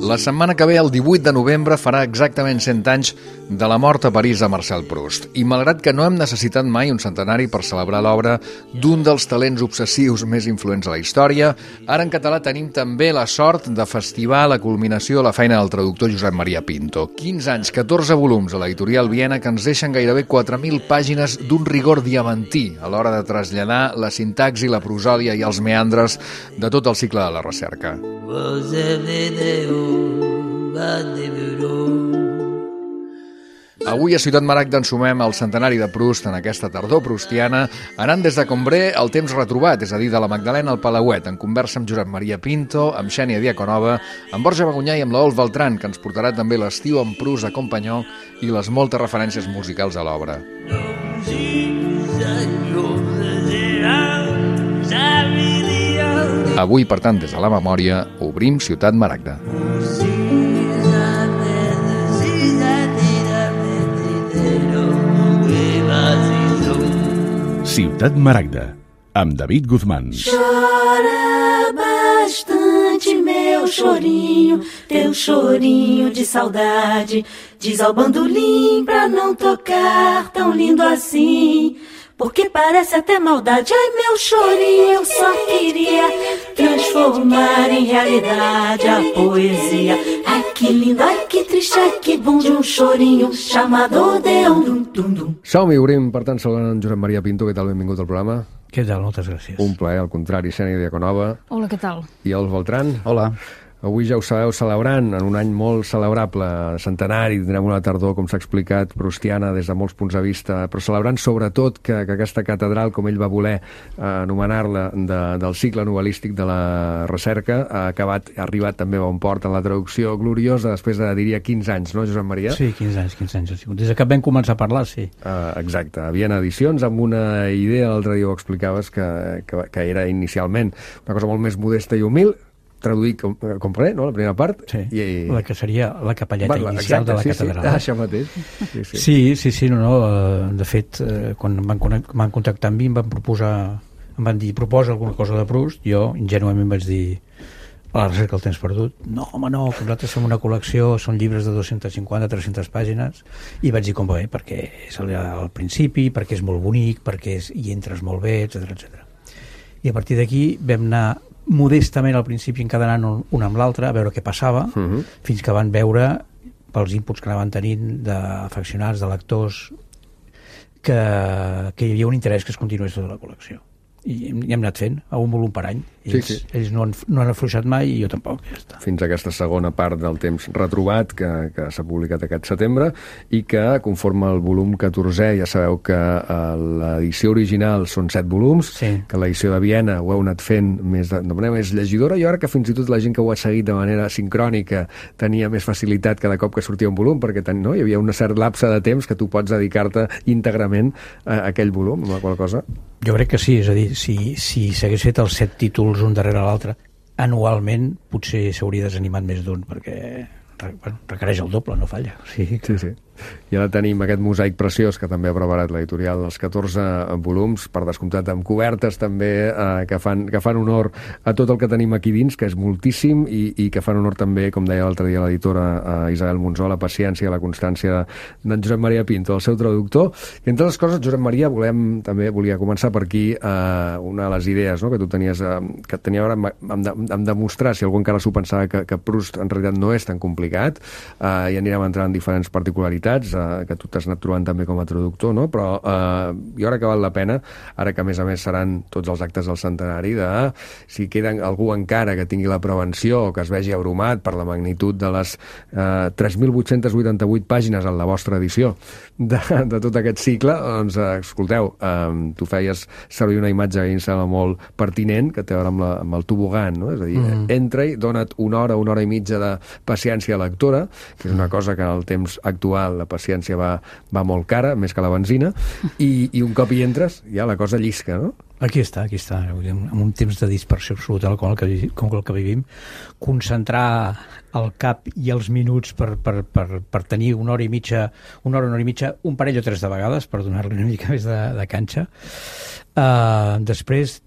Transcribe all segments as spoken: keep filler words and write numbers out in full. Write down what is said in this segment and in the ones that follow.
La setmana que ve, el divuit de novembre, farà exactament cent anys de la mort a París de Marcel Proust. I malgrat que no hem necessitat mai un centenari per celebrar l'obra d'un dels talents obsessius més influents a la història, ara en català tenim també la sort de festivar la culminació de la feina del traductor Josep Maria Pinto. quinze anys, catorze volums a l'editorial Viena que ens deixen gairebé quatre mil pàgines d'un rigor diamantí a l'hora de traslladar la sintaxi, la prosòdia i els meandres de tot el cicle de la recerca. Avui a Ciutat Maragda ensumem el centenari de Proust en aquesta tardor proustiana, anant des de Combré al temps retrobat, és a dir, de la Magdalena al Palauet, en conversa amb Josep Maria Pinto, amb Xènia Diaconova, amb Borja Bagunyà i amb l'Adolf Beltrán, que ens portarà també l'estiu amb Proust a Companyó i les moltes referències musicals a l'obra. Avui, per tant, des de la memòria, obrim Ciutat Maragda. Ciutat Maragda, amb David Guzmán. Chora bastante, meu chorinho, teu chorinho de saudade. Diz ao bandolim pra não tocar tão lindo assim, porque parece até maldade. Ai, meu chorinho, eu só queria transformar em realidade a poesia. Ai, que lindo, ai, que triste, ai, que bom de um chorinho chamado Deum. Som-hi, obrim, per tant, saludant en Josep Maria Pinto. Què tal? Benvingut al programa. Què tal? Moltes gràcies. Un plaer, al contrari, Xènia Diaconova. Hola, què tal? I el Beltrán. Hola. Avui ja ho sabeu, celebrant, en un any molt celebrable, centenari, tindrem una tardor, com s'ha explicat, proustiana des de molts punts de vista, però celebrant sobretot que, que aquesta catedral, com ell va voler eh, anomenar-la, de, del cicle novel·lístic de la recerca, ha acabat, ha arribat també a bon port en la traducció gloriosa després de, diria, quinze anys, no, Josep Maria? Sí, quinze anys, quinze anys ha sigut. Des que vam començar a parlar, sí. Uh, exacte. Viena Edicions, amb una idea, l'altre dia ho explicaves, que, que, que era inicialment una cosa molt més modesta i humil, traduït com, com res, no?, la primera part. Sí, i, la que seria la capelleta Va, inicial exacte, de la sí, catedral. Sí, ah, això mateix. Sí, sí, sí, sí, sí no, no. De fet, quan em van, van contactar amb mi, em van proposar, em van dir, proposa alguna cosa de Proust, jo ingenuament vaig dir, a la recerca del temps perdut, no, home, no, que nosaltres fem una col·lecció, són llibres de dos-centes cinquanta a tres-centes pàgines, i vaig dir com va bé, perquè és al principi, perquè és molt bonic, perquè és, hi entres molt bé, etcètera, etcètera. I a partir d'aquí vam anar modestament al principi encadenant un, un amb l'altre a veure què passava, uh -huh. fins que van veure pels inputs que anaven tenint d'afeccionats, de lectors, que, que hi havia un interès que es continués tota la col·lecció. I hem, hem anat fent a un volum per any. Ells, sí, sí. ells no, han, no han afluixat mai i jo tampoc. Ja està. Fins a aquesta segona part del temps retrobat que, que s'ha publicat aquest setembre i que conforma el volum catorzè. Ja sabeu que uh, l'edició original són set volums, sí. que l'edició de Viena ho heu anat fent més de, de manera més llegidora. Jo ara que fins i tot la gent que ho ha seguit de manera sincrònica tenia més facilitat cada cop que sortia un volum, perquè ten, no? Hi havia una certa lapse de temps que tu pots dedicar-te íntegrament a aquell volum, amb la qual cosa... Jo crec que sí, és a dir, si, si s'hagués fet els set títols un darrere l'altre, anualment potser s'hauria desanimat més d'un, perquè bueno, requereix el doble, no falla. Sí, sí, sí. I ara tenim aquest mosaic preciós que també ha preparat l'editorial, els catorze volums, per descomptat amb cobertes també eh, que, fan, que fan honor a tot el que tenim aquí dins, que és moltíssim, i, i que fan honor també, com deia l'altre dia l'editora eh, Isabel Monzó, la paciència i la constància d'en Josep Maria Pinto, el seu traductor. I entre les coses, Josep Maria, volem, també volia començar per aquí eh, una de les idees, no?, que tu tenies, eh, que tenia ara amb, amb, amb demostrar, si algú encara s'ho pensava, que, que Proust en realitat no és tan complicat, eh, i anirem entrant en diferents particularitats eh, que tu t'has anat trobant també com a traductor, no? Però eh, jo crec que val la pena, ara que a més a més seran tots els actes del centenari, de si queda algú encara que tingui la prevenció o que es vegi abrumat per la magnitud de les eh, tres mil vuit-centes vuitanta-vuit pàgines en la vostra edició de, de tot aquest cicle, doncs eh, escolteu, eh, tu feies servir una imatge que em sembla molt pertinent, que té a veure amb, la, amb el tobogan, no? És a dir, mm. entra-hi, dona't una hora, una hora i mitja de paciència lectora, que és una cosa que en el temps actual la paciència va, va molt cara, més que la benzina, i, i un cop hi entres, ja la cosa llisca, no? Aquí està, aquí està. En un temps de dispersió absoluta com el que, com el que vivim, concentrar el cap i els minuts per, per, per, per tenir una hora i mitja, una hora, una hora i mitja, un parell o tres de vegades, per donar-li una mica més de, de canxa. Uh, després,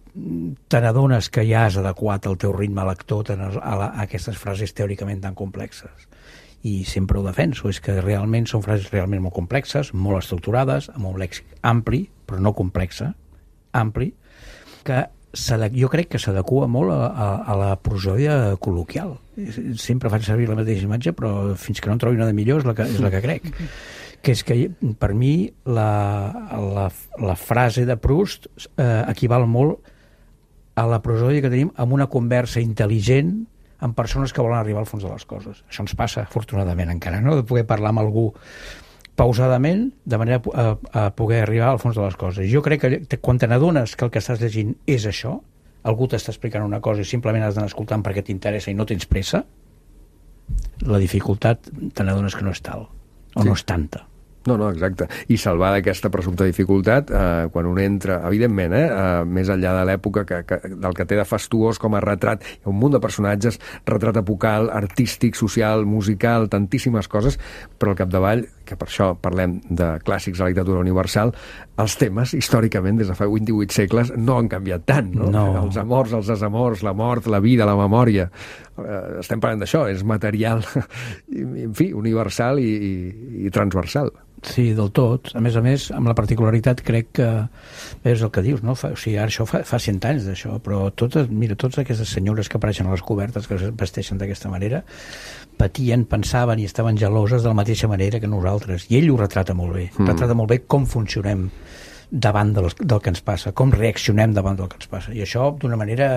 te n'adones que ja has adequat el teu ritme lector a, a, a aquestes frases teòricament tan complexes. I sempre ho defenso, és que realment són frases realment molt complexes, molt estructurades, amb un lèxic ampli, però no complexa, ampli, que jo crec que s'adequa molt a, a, a la prosòdia col·loquial. Sempre faig servir la mateixa imatge, però fins que no en trobi una de millor és la que, és la que crec. Que és que per mi la, la, la frase de Proust eh, equival molt a la prosòdia que tenim amb una conversa intel·ligent amb persones que volen arribar al fons de les coses. Això ens passa, afortunadament, encara, no? De poder parlar amb algú pausadament, de manera a, a poder arribar al fons de les coses. Jo crec que quan te n'adones que el que estàs llegint és això, algú t'està explicant una cosa i simplement has d'anar escoltant perquè t'interessa i no tens pressa, la dificultat te n'adones que no és tal, o sí. No és tanta. No, no, exacte. I salvar d'aquesta presumpta dificultat, eh, quan un entra, evidentment, eh, eh, més enllà de l'època que, que, del que té de fastuós com a retrat, hi ha un munt de personatges, retrat epocal, artístic, social, musical, tantíssimes coses, però al capdavall, que per això parlem de clàssics de la literatura universal, els temes, històricament, des de fa vint-i-vuit segles, no han canviat tant, no? No. Els amors, els desamors, la mort, la vida, la memòria, eh, estem parlant d'això, és material, en fi, universal i, i, i transversal. Sí, del tot. A més a més, amb la particularitat crec que és el que dius, no? Fa, o sigui, ara això fa, fa cent anys d'això, però totes, mira, totes aquestes senyores que apareixen a les cobertes, que es vesteixen d'aquesta manera, patien, pensaven i estaven geloses de la mateixa manera que nosaltres. I ell ho retrata molt bé. Mm. Retrata molt bé com funcionem davant de les, del que ens passa, com reaccionem davant del que ens passa. I això, d'una manera...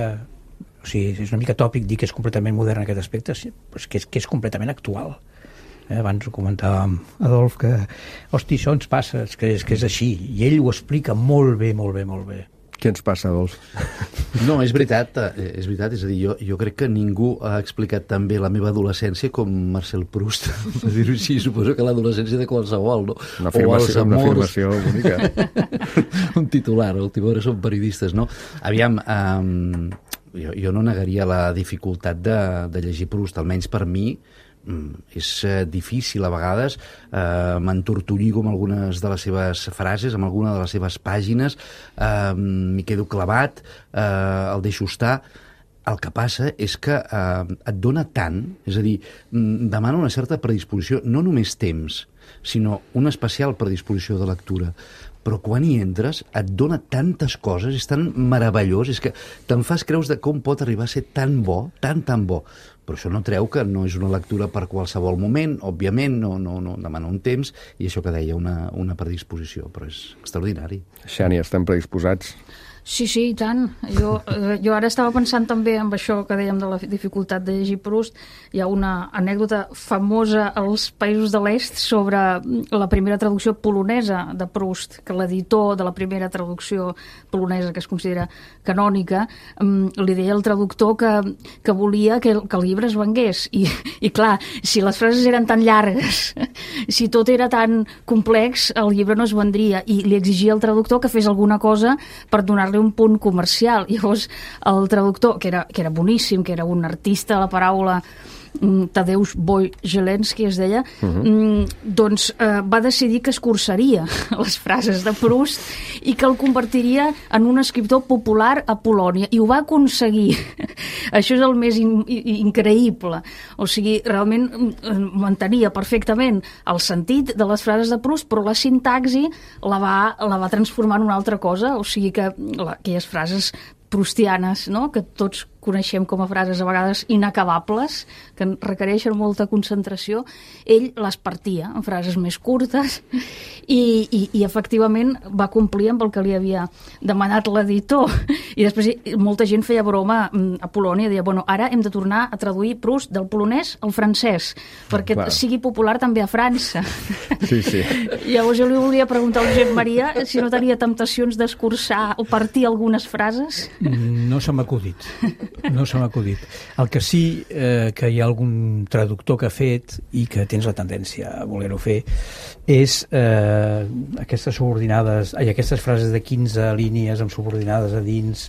O sigui, és una mica tòpic dir que és completament modern en aquest aspecte, però és que és, que és completament actual. Eh, abans ho comentàvem, Adolf, que hosti, això ens passa, és que, és que és així, i ell ho explica molt bé, molt bé, molt bé. Què ens passa, Adolf? No, és veritat, és veritat, és a dir, jo, jo crec que ningú ha explicat tan bé la meva adolescència com Marcel Proust, per dir-ho així, suposo que l'adolescència de qualsevol, no? Una afirmació, una afirmació bonica. Un titular, a última hora són periodistes, no? Aviam, um, jo, jo no negaria la dificultat de, de llegir Proust, almenys per mi, és eh, difícil a vegades, eh, m'entortolligo amb algunes de les seves frases, amb alguna de les seves pàgines, eh, m'hi quedo clavat, eh, el deixo estar. El que passa és que eh, et dona tant, és a dir, demana una certa predisposició, no només temps, sinó una especial predisposició de lectura. Però quan hi entres et dona tantes coses, és tan meravellós, és que te'n fas creus de com pot arribar a ser tan bo, tan, tan bo. Però això no treu que no és una lectura per qualsevol moment, òbviament, no, no, no demana un temps, i això que deia, una, una predisposició, però és extraordinari. Xènia, estem predisposats? Sí, sí, i tant. Jo, eh, jo ara estava pensant també en això que dèiem de la dificultat de llegir Proust. Hi ha una anècdota famosa als països de l'est sobre la primera traducció polonesa de Proust, que l'editor de la primera traducció polonesa, que es considera canònica, li deia al traductor que, que volia que el, que el llibre es vengués. I, I clar, si les frases eren tan llargues, si tot era tan complex, el llibre no es vendria. I li exigia al traductor que fes alguna cosa per donar-li un punt comercial. Llavors el traductor, que era, que era boníssim, que era un artista de la paraula, Tadeusz Wojciechowski es deia, uh-huh. doncs eh, va decidir que escurçaria les frases de Proust i que el convertiria en un escriptor popular a Polònia, i ho va aconseguir. Això és el més in increïble. O sigui, realment mantenia perfectament el sentit de les frases de Proust, però la sintaxi la va, la va transformar en una altra cosa. O sigui que la, aquelles frases proustianes, no?, que tots coneixem com a frases a vegades inacabables, que requereixen molta concentració, ell les partia en frases més curtes i, i, i efectivament va complir amb el que li havia demanat l'editor. I després molta gent feia broma a Polònia, deia, bueno, ara hem de tornar a traduir Proust del polonès al francès, perquè Clar. sigui popular també a França. Sí, sí. Llavors jo li volia preguntar al Josep Maria si no tenia temptacions d'escurçar o partir algunes frases. No se m'ha acudit. No se m'ha acudit. El que sí eh, que hi ha algun traductor que ha fet i que tens la tendència a voler-ho fer és eh, aquestes subordinades, ai, aquestes frases de quinze línies amb subordinades a dins,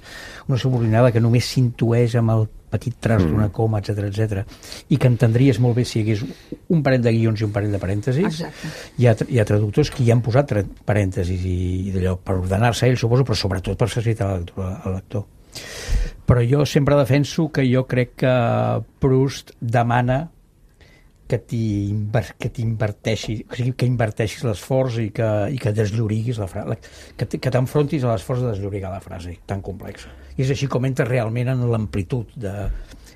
una subordinada que només s'intueix amb el petit traç d'una coma, etcètera, etcètera, i que entendries molt bé si hi hagués un parell de guions i un parell de parèntesis. Exacte. Hi ha, hi ha traductors que hi han posat parèntesis i, i d'allò per ordenar-se ell, suposo, però sobretot per facilitar al lector. Al lector. Però jo sempre defenso que jo crec que Proust demana que t'inverteixi, o sigui, que inverteixis l'esforç i que, i que deslloriguis la frase, que, que t'enfrontis a l'esforç de desllorigar la frase tan complexa. I és així com entres realment en l'amplitud de...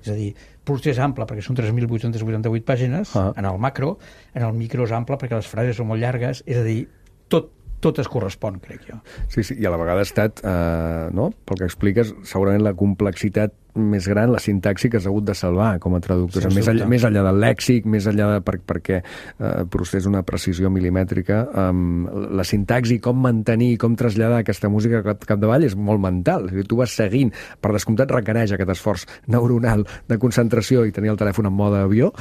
És a dir, Proust és ample perquè són tres mil vuit-cents vuitanta-vuit pàgines, ah. en el macro, en el micro és ample perquè les frases són molt llargues, és a dir, tot, tot es correspon, crec jo. Sí, sí, i a la vegada ha estat, eh, no?, pel que expliques, segurament la complexitat més gran, la sintaxi que has hagut de salvar com a traductor, sí, més, enllà, més enllà del lèxic, més enllà de per, perquè eh, Proust és una precisió milimètrica, um, la sintaxi, com mantenir, com traslladar aquesta música cap, capdavall és molt mental. És a dir, tu vas seguint, per descomptat requereix aquest esforç neuronal de concentració i tenir el telèfon en mode avió,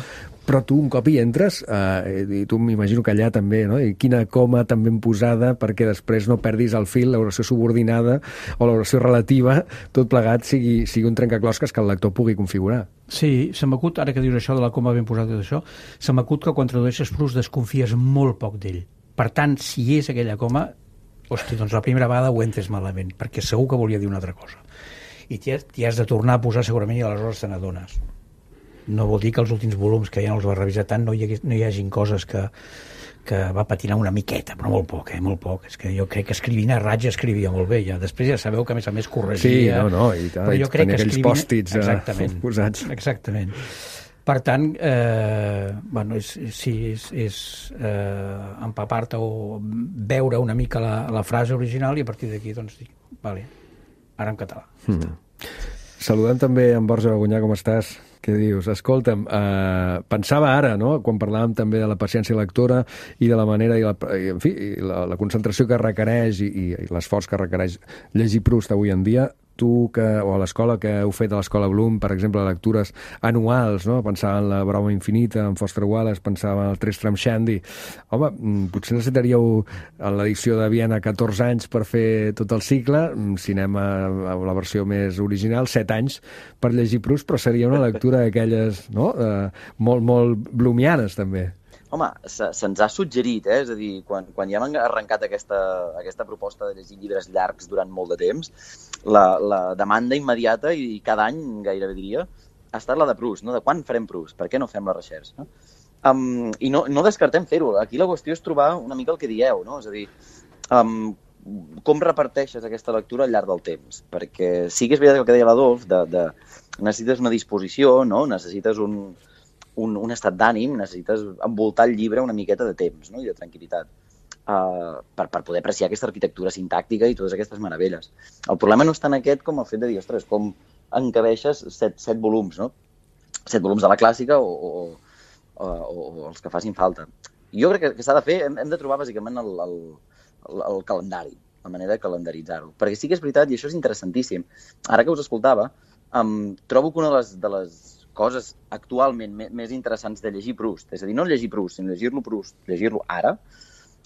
però tu un cop hi entres, eh, i tu m'imagino que allà també, no? I quina coma tan ben posada perquè després no perdis el fil, l'oració subordinada o l'oració relativa, tot plegat sigui, sigui un trencaclosques que el lector pugui configurar. Sí, se m'acut, ara que dius això de la coma ben posada i tot això, se m'acut que quan tradueixes Proust desconfies molt poc d'ell. Per tant, si és aquella coma, hosti, doncs la primera vegada ho entres malament, perquè segur que volia dir una altra cosa. I t'hi has, t'hi has de tornar a posar segurament i aleshores te n'adones. No vol dir que els últims volums, que ja no els va revisar tant, no hi, hagués, no hi hagin coses que, que va patinar una miqueta, però molt poc, eh, molt poc. És que jo crec que escrivint a raig escrivia molt bé, ja. Després ja sabeu que a més a més corregia. Sí, no, no, i tant, però jo crec que aquells escrivint... pòstits exactament, posats. Exactament. Per tant, eh, bueno, és, sí, és, és eh, empapar-te o veure una mica la, la frase original i a partir d'aquí, doncs, dic, vale, ara en català. Mm. Saludem també en Borja Bagunyà, com estàs? Què dius? Escolta'm, eh, pensava ara, no?, quan parlàvem també de la paciència lectora i de la manera i la, i, en fi, i la, la concentració que requereix i, i, i l'esforç que requereix llegir Proust avui en dia, tu que, o a l'escola que heu fet a l'escola Bloom, per exemple, lectures anuals, no?, pensava en La broma infinita, en Foster Wallace, pensava en el Tristram Shandy. Home, potser necessitaríeu en l'edició de Viena catorze anys per fer tot el cicle, cinema, la versió més original, set anys per llegir Proust, però seria una lectura d'aquelles, no?, eh, molt, molt bloomianes, també. Home, se, se'ns ha suggerit, eh? És a dir, quan, quan ja hem arrencat aquesta, aquesta proposta de llegir llibres llargs durant molt de temps, la, la demanda immediata, i cada any gairebé diria, ha estat la de Proust, no? De quan farem Proust? Per què no fem la recerca? No? Um, I no, no descartem fer-ho. Aquí la qüestió és trobar una mica el que dieu, no? És a dir, um, com reparteixes aquesta lectura al llarg del temps? Perquè sí que és veritat el que deia l'Adolf, de, de, necessites una disposició, no? Necessites un... Un, un estat d'ànim, necessites envoltar el llibre una miqueta de temps, no?, i de tranquil·litat uh, per, per poder apreciar aquesta arquitectura sintàctica i totes aquestes meravelles. El problema no és tant aquest com el fet de dir, ostres, com encabeixes set, set volums, no? Set volums de la clàssica o, o, o, o els que facin falta. Jo crec que, que s'ha de fer, hem, hem de trobar bàsicament el, el, el, el calendari, la manera de calendaritzar-ho. Perquè sí que és veritat, i això és interessantíssim, ara que us escoltava, um, trobo que una de les, de les coses actualment més interessants de llegir Proust, és a dir, no llegir Proust, sinó llegir-lo Proust, llegir-lo ara,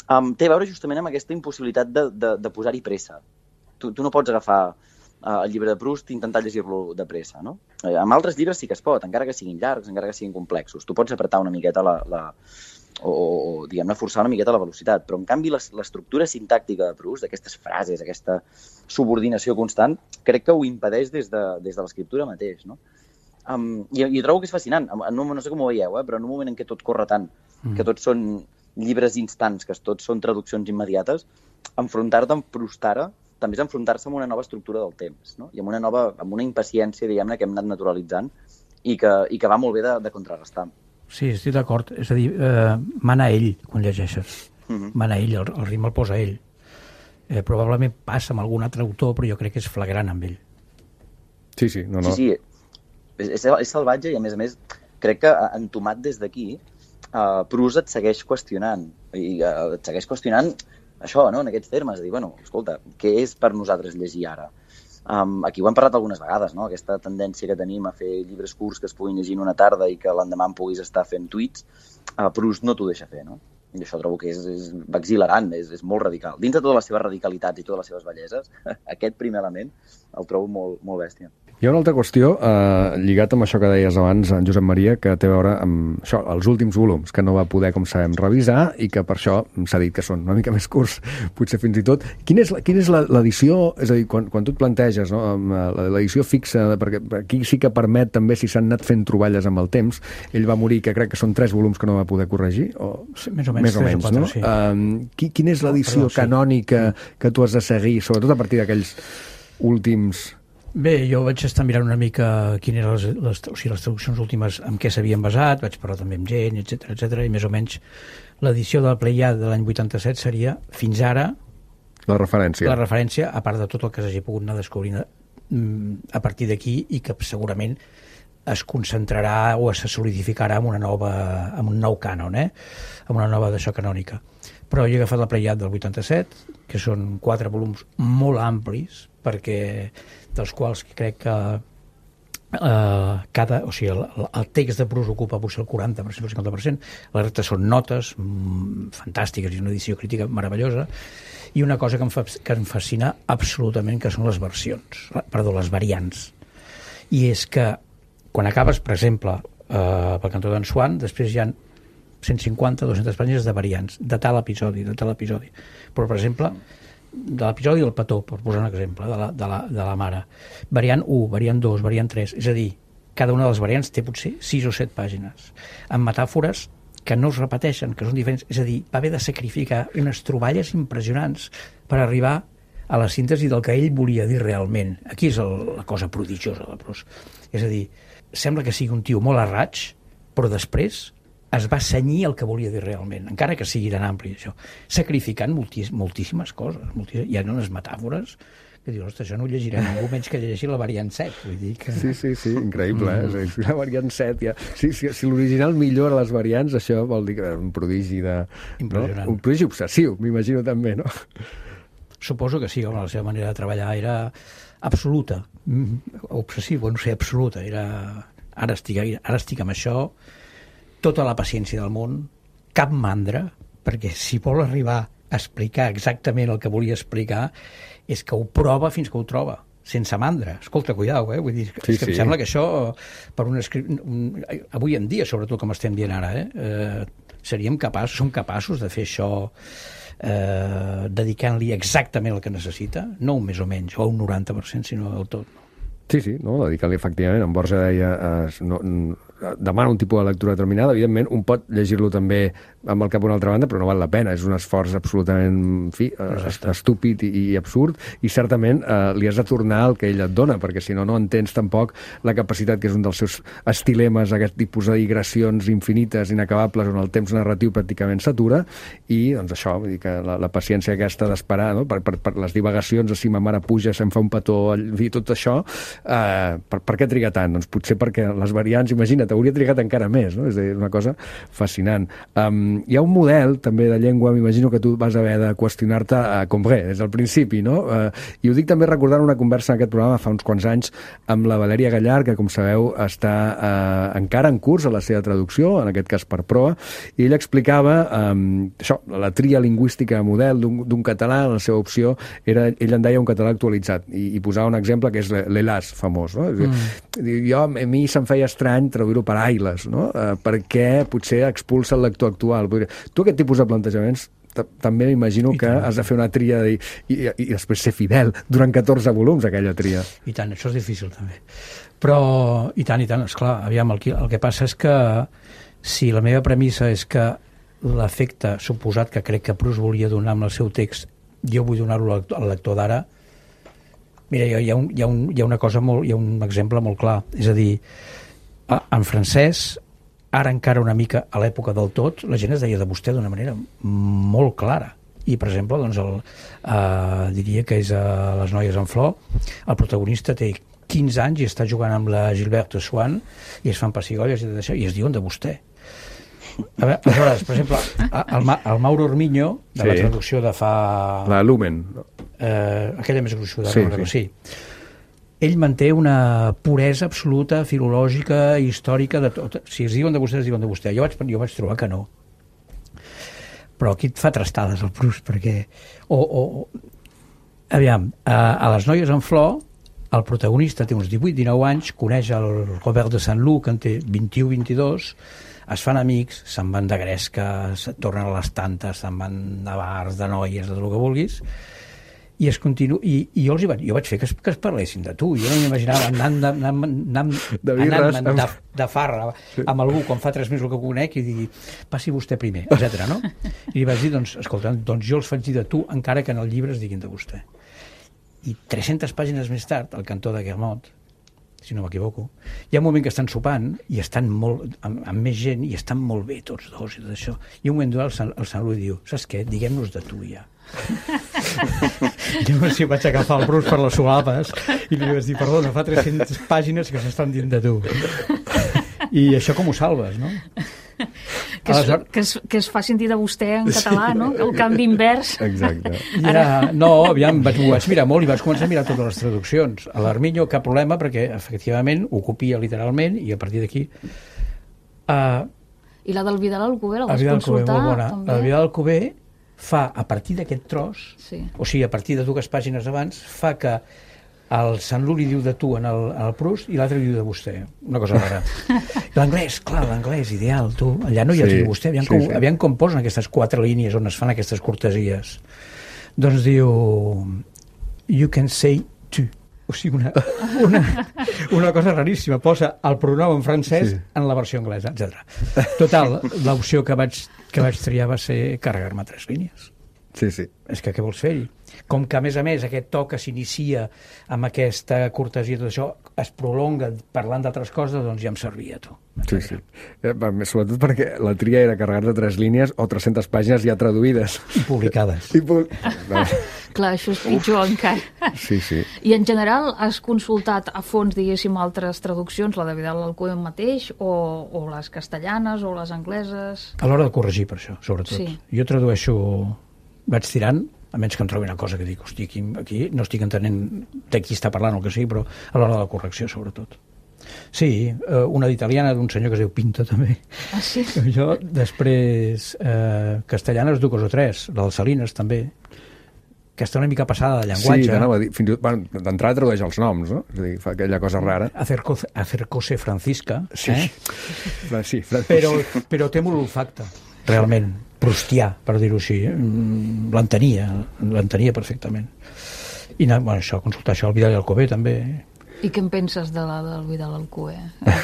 um, té a veure justament amb aquesta impossibilitat de, de, de posar-hi pressa. Tu, tu no pots agafar uh, el llibre de Proust i intentar llegir-lo de pressa, no? Eh, amb altres llibres sí que es pot, encara que siguin llargs, encara que siguin complexos. Tu pots apretar una miqueta la... la o, o diguem-ne, forçar una miqueta la velocitat, però en canvi l'estructura sintàctica de Proust, d'aquestes frases, aquesta subordinació constant, crec que ho impedeix des de, des de l'escriptura mateix, no? Um, i, i trobo que és fascinant, no, no sé com ho veieu, eh, però en un moment en què tot corre tant, mm. que tots són llibres instants, que tots són traduccions immediates, enfrontar-te amb Proust ara també és enfrontar-se amb una nova estructura del temps, no? I amb una nova, amb una impaciència, diguem-ne, que hem anat naturalitzant i que, i que va molt bé de, de contrarrestar. Sí, estic d'acord. És a dir, eh, mana ell quan llegeixes. Mm-hmm. Mana ell, el, el ritme el posa ell. Eh, probablement passa amb algun altre autor, però jo crec que és flagrant amb ell. Sí, sí, no, no. Sí, sí. És, és salvatge i, a més a més, crec que entomat des d'aquí, uh, Proust et segueix qüestionant. I uh, et segueix qüestionant això, no?, en aquests termes. De dir, bueno, escolta, què és per nosaltres llegir ara? Um, aquí ho hem parlat algunes vegades, no?, aquesta tendència que tenim a fer llibres curts que es puguin llegir en una tarda i que l'endemà en puguis estar fent tuits, uh, Proust no t'ho deixa fer, no? I això trobo que és, és exhilarant, és, és molt radical. Dins de totes les seves radicalitats i totes les seves belleses, aquest primer element el trobo molt, molt bèstia. Hi ha una altra qüestió, eh, lligat amb això que deies abans, en Josep Maria, que té a veure amb això, els últims volums, que no va poder, com sabem, revisar i que per això s'ha dit que són una mica més curts, potser fins i tot. Quina és, quina és l'edició, és a dir, quan, quan tu et planteges, no, l'edició fixa, perquè aquí sí que permet també, si s'han anat fent troballes amb el temps, ell va morir, que crec que són tres volums que no va poder corregir, o sí, més o menys, més o menys, quatre, no? Sí. Uh, quina és l'edició no, perdó, sí. canònica que tu has de seguir, sobretot a partir d'aquells últims... Bé, jo vaig estar mirant una mica quines eren les, les, o sigui, les traduccions últimes en què s'havien basat, vaig parlar també amb gent, etcètera, etcètera, i més o menys l'edició de la Pleiad de l'any vuitanta-set seria, fins ara, la referència. La referència, a part de tot el que s'hagi pogut anar descobrint a partir d'aquí i que segurament es concentrarà o es solidificarà amb una nova, amb un nou cànon, eh? Amb una nova d'això canònica. Però jo he agafat la Pleiad del vuitanta-set, que són quatre volums molt amplis, perquè dels quals crec que eh, cada, o sigui, el, el text de Proust ocupa potser el quaranta per cent o el cinquanta per cent, la resta són notes mmm, fantàstiques i una edició crítica meravellosa, i una cosa que em, fa, que em fascina absolutament, que són les versions, perdó, les variants. I és que quan acabes, per exemple, eh, pel cantó d'en Swan, després hi ha cent cinquanta a dues-centes pàgines de variants, de tal episodi, de tal episodi. Però, per exemple, de l'episodi del petó, per posar un exemple, de la, de la, de la mare. Variant u, variant dos, variant tres, és a dir, cada una de les variants té potser sis o set pàgines, amb metàfores que no es repeteixen, que són diferents, és a dir, va haver de sacrificar unes troballes impressionants per arribar a la síntesi del que ell volia dir realment. Aquí és el, la cosa prodigiosa de Proust. És a dir, sembla que sigui un tio molt a raig, però després es va cenyir el que volia dir realment, encara que sigui tan ampli això, sacrificant moltis, moltíssimes coses. Moltíssimes, hi ha unes metàfores que dius, ostres, això no ho llegiré ningú menys que llegeixi la variant set. Vull dir que... Sí, sí, sí, increïble, eh? Mm. La variant set, ja... Sí, sí, si l'original millora les variants, això vol dir que és un prodigi de... Impressionant. No? Un prodigi obsessiu, m'imagino també, no? Suposo que sí, home, la seva manera de treballar era absoluta, obsessiva, no sé, absoluta, era... Ara estic, ara estic amb això, tota la paciència del món, cap mandra, perquè si vol arribar a explicar exactament el que volia explicar, és que ho prova fins que ho troba, sense mandra. Escolta, cuidao, eh? Vull dir, sí, és que sí. Em sembla que això, per un escrit... Un, avui en dia, sobretot com estem dient ara, eh? Eh, seríem capaços, som capaços de fer això eh, dedicant-li exactament el que necessita, no un més o menys, o un noranta per cent, sinó del tot. Sí, sí, no? Dedicant-li efectivament. En Borja deia, eh, no, demana un tipus de lectura determinada, evidentment un pot llegir-lo també amb el cap a una altra banda, però no val la pena, és un esforç absolutament, en fi, estúpid i, i absurd, i certament eh, li has de tornar el que ell et dona, perquè si no, no entens tampoc la capacitat, que és un dels seus estilemes, aquest tipus de digressions infinites, inacabables, on el temps narratiu pràcticament s'atura, i doncs això, vull dir que la, la paciència aquesta d'esperar, no? per, per, per les divagacions, si ma mare puja, se'm fa un petó, i tot això, eh, per, per què triga tant? Doncs potser perquè les variants, imagina't, hauria trigat encara més, no? És a dir, una cosa fascinant. Um, hi ha un model també de llengua, m'imagino que tu vas haver de qüestionar-te a Combré des del principi, no? Uh, I ho dic també recordant una conversa en aquest programa fa uns quants anys amb la Valèria Gallar, que com sabeu està uh, encara en curs a la seva traducció, en aquest cas per proa, i ell explicava um, això, la tria lingüística model d'un català, la seva opció era, ell en deia un català actualitzat, i, i posava un exemple que és l'Elas famós, no? Mm. Jo, a mi se'm feia estrany traduir-ho per Ailes, no? Uh, perquè potser expulsa el lector actual. Tu aquest tipus de plantejaments també m'imagino que has de fer una tria i, i, i després ser fidel durant catorze volums, aquella tria. I tant, això és difícil també. Però, i tant, i tant, esclar, aviam, el que, el que passa és que si la meva premissa és que l'efecte suposat que crec que Proust volia donar amb el seu text, jo vull donar-lo al lector d'ara, mira, hi ha, un, hi, ha un, hi ha una cosa molt, hi ha un exemple molt clar, és a dir, en francès, ara encara una mica a l'època del tot, la gent es deia de vostè d'una manera molt clara. I, per exemple, doncs el, eh, diria que és a Les noies en flor, el protagonista té quinze anys i està jugant amb la Gilberte Swan i es fan pessigolles i tot això, i es diuen de vostè. A veure, aleshores, per exemple, el, el Mauro Ormiño, de sí. La traducció de fa... La Lumen. Eh, aquella més gruixuda. Sí, no, sí. sí. Ell manté una puresa absoluta, filològica, històrica, de tot. Si es diuen de vostè, es diuen de vostè. Jo vaig, jo vaig trobar que no. Però aquí et fa trastades el Proust, perquè... O, o, aviam, a, a Les noies en flor el protagonista té uns divuit dinou anys, coneix el Robert de Saint-Loup, que en té vint-i-u vint-i-dos, es fan amics, se'n van de gresca, tornen a les tantes, se'n van de bars, de noies, de tot el que vulguis, i es continu... I, i jo, els hi vaig, jo vaig fer que es, que es parlessin de tu. Jo no m'imaginava anant, anant, anant, de, birres, anant de, de farra amb algú quan fa tres mesos que conec i digui, passi vostè primer, etcètera. No? I li vaig dir, doncs, escolta, doncs jo els faig dir de tu encara que en el llibre es diguin de vostè. I tres-centes pàgines més tard, al cantó de Guermont, si no m'equivoco, hi ha un moment que estan sopant i estan molt, amb, amb més gent i estan molt bé tots dos i tot això. I un moment donat el, el Sant Louis diu, saps què? Diguem-nos de tu ja. Llavors si vaig agafar el Bruce per les solapes i li vaig dir, perdona, fa tres-centes pàgines que s'estan dient de tu. I això com ho salves, no? Que es, que, es, que es fa sentir de vostè en català, no? El canvi invers. Exacte. Ara, no, aviam, vaig, ho vaig mirar molt i vaig començar a mirar totes les traduccions. A l'Arminyo cap problema perquè efectivament ho copia literalment i a partir d'aquí... Uh, I la del Vidal Alcover la vas Vidal consultar? Alcover, també? La Vidal Alcover fa, a partir d'aquest tros, sí. O sigui, a partir de dues pàgines abans, fa que el Saint-Loup li diu de tu en el, en el Proust i l'altre li diu de vostè. Una cosa rara. L'anglès, clar, l'anglès, ideal, tu. Allà no hi ha sí, de vostè. Aviam, sí, com, sí. aviam com posen aquestes quatre línies on es fan aquestes cortesies. Doncs diu... You can say tu. O sigui, una, una, una cosa raríssima. Posa el pronom en francès sí. en la versió anglesa, etcètera. Total, l'opció que vaig, que vaig triar va ser carregar-me tres línies. Sí, sí. És que què vols fer-hi? Com que, a més a més, aquest to que s'inicia amb aquesta cortesia i tot això es prolonga parlant d'altres coses, doncs ja em servia, tu. Sí, sí. Eh, sobretot perquè la tria era carregar-te tres línies o tres-centes pàgines ja traduïdes. I publicades. I pu... no. Clar, això és pitjor encara. Sí, sí. I en general has consultat a fons, diguéssim, altres traduccions, la de Vidal Alcover mateix, o, o les castellanes, o les angleses? A l'hora de corregir, per això, sobretot. Sí. Jo tradueixo... Vaig tirant, a menys que em trobi una cosa que dic, hosti, aquí, aquí no estic entenent de qui està parlant o el que sigui, però a l'hora de la correcció, sobretot. Sí, una d'italiana d'un senyor que es diu Pinto, també. Ah, sí? Jo, després, eh, castellanes dues o tres, la del Salines, també, que està una mica passada de llenguatge. Sí, t'anava a dir, fins i tot, bueno, d'entrada tradueix els noms, no? És a dir, fa aquella cosa rara. Acerco, acercose Francisca. Sí, eh? sí, però, però té molt olfacte, realment. Prustià, per dir-ho així. L'entenia, l'entenia perfectament. I bueno, això, consultar això, el Vidal Alcover també. I què en penses de la del Vidal Alcover?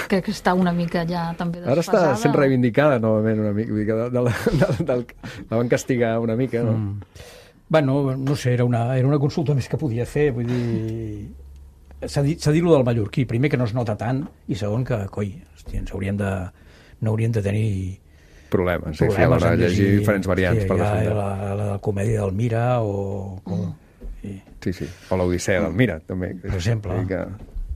Crec que està una mica ja també desfasada. Ara està sent reivindicada novament una mica. De, de la, de, de, la van castigar una mica, no? Mm. Bueno, no sé, era una, era una consulta més que podia fer, vull dir... S'ha dit, s'ha dit lo del mallorquí, primer que no es nota tant, i segon que, coi, hòstia, ens hauríem de, no hauríem de tenir... Problemes, sí, a l'hora de llegir diferents variants. Sí, per la, la, la, la comèdia del Mira o... Com, sí. sí, sí, o l'Odissea del Mira, també. Per exemple. Que,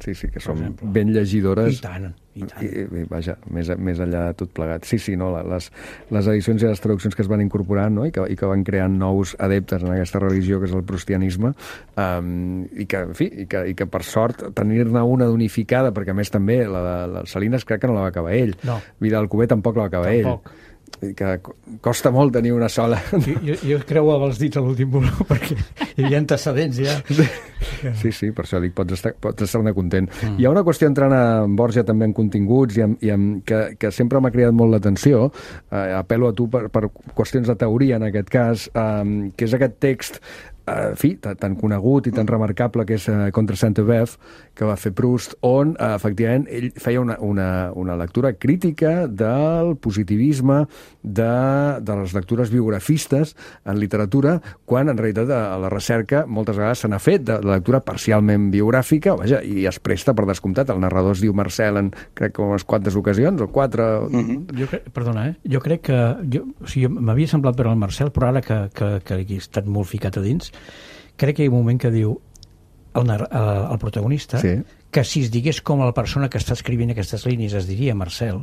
sí, sí, que són ben llegidores. I tant, i tant. I, i vaja, més, més enllà de tot plegat. Sí, sí, no, les, les edicions i les traduccions que es van incorporant, no? I, que, i que van creant nous adeptes en aquesta religió que és el prustianisme, um, i, que, en fi, i, que, i que per sort tenir-ne una d'unificada, perquè a més també la de la Salines crec que no la va acabar ell. No. Vidal Alcover tampoc la va acabar tampoc. ell. I que costa molt tenir una sola. Jo, jo, jo creuava els dits a l'últim volum perquè hi havia antecedents ja. Sí, sí, per això dic, pots estar, pots estar-ne content. Mm. Hi ha una qüestió entrant a Borja també en continguts i, en, i en, que, que sempre m'ha cridat molt l'atenció, eh, apel·lo a tu per, per qüestions de teoria en aquest cas, eh, que és aquest text en fi, tan conegut i tan remarcable que és uh, Contra Sainte-Beuve, que va fer Proust, on uh, efectivament ell feia una, una, una lectura crítica del positivisme, de, de les lectures biografistes en literatura, quan en realitat a la recerca moltes vegades se n'ha fet de, de lectura parcialment biogràfica, vaja, i es presta per descomptat. El narrador es diu Marcel en crec que unes quantes ocasions, o quatre... Mm-hmm. Jo crec, perdona, eh? Jo crec que... Jo, o sigui, m'havia semblat veure el Marcel, però ara que, que, que he estat molt ficat a dins, crec que hi ha un moment que diu el, el, el protagonista sí. que si es digués com la persona que està escrivint aquestes línies es diria Marcel.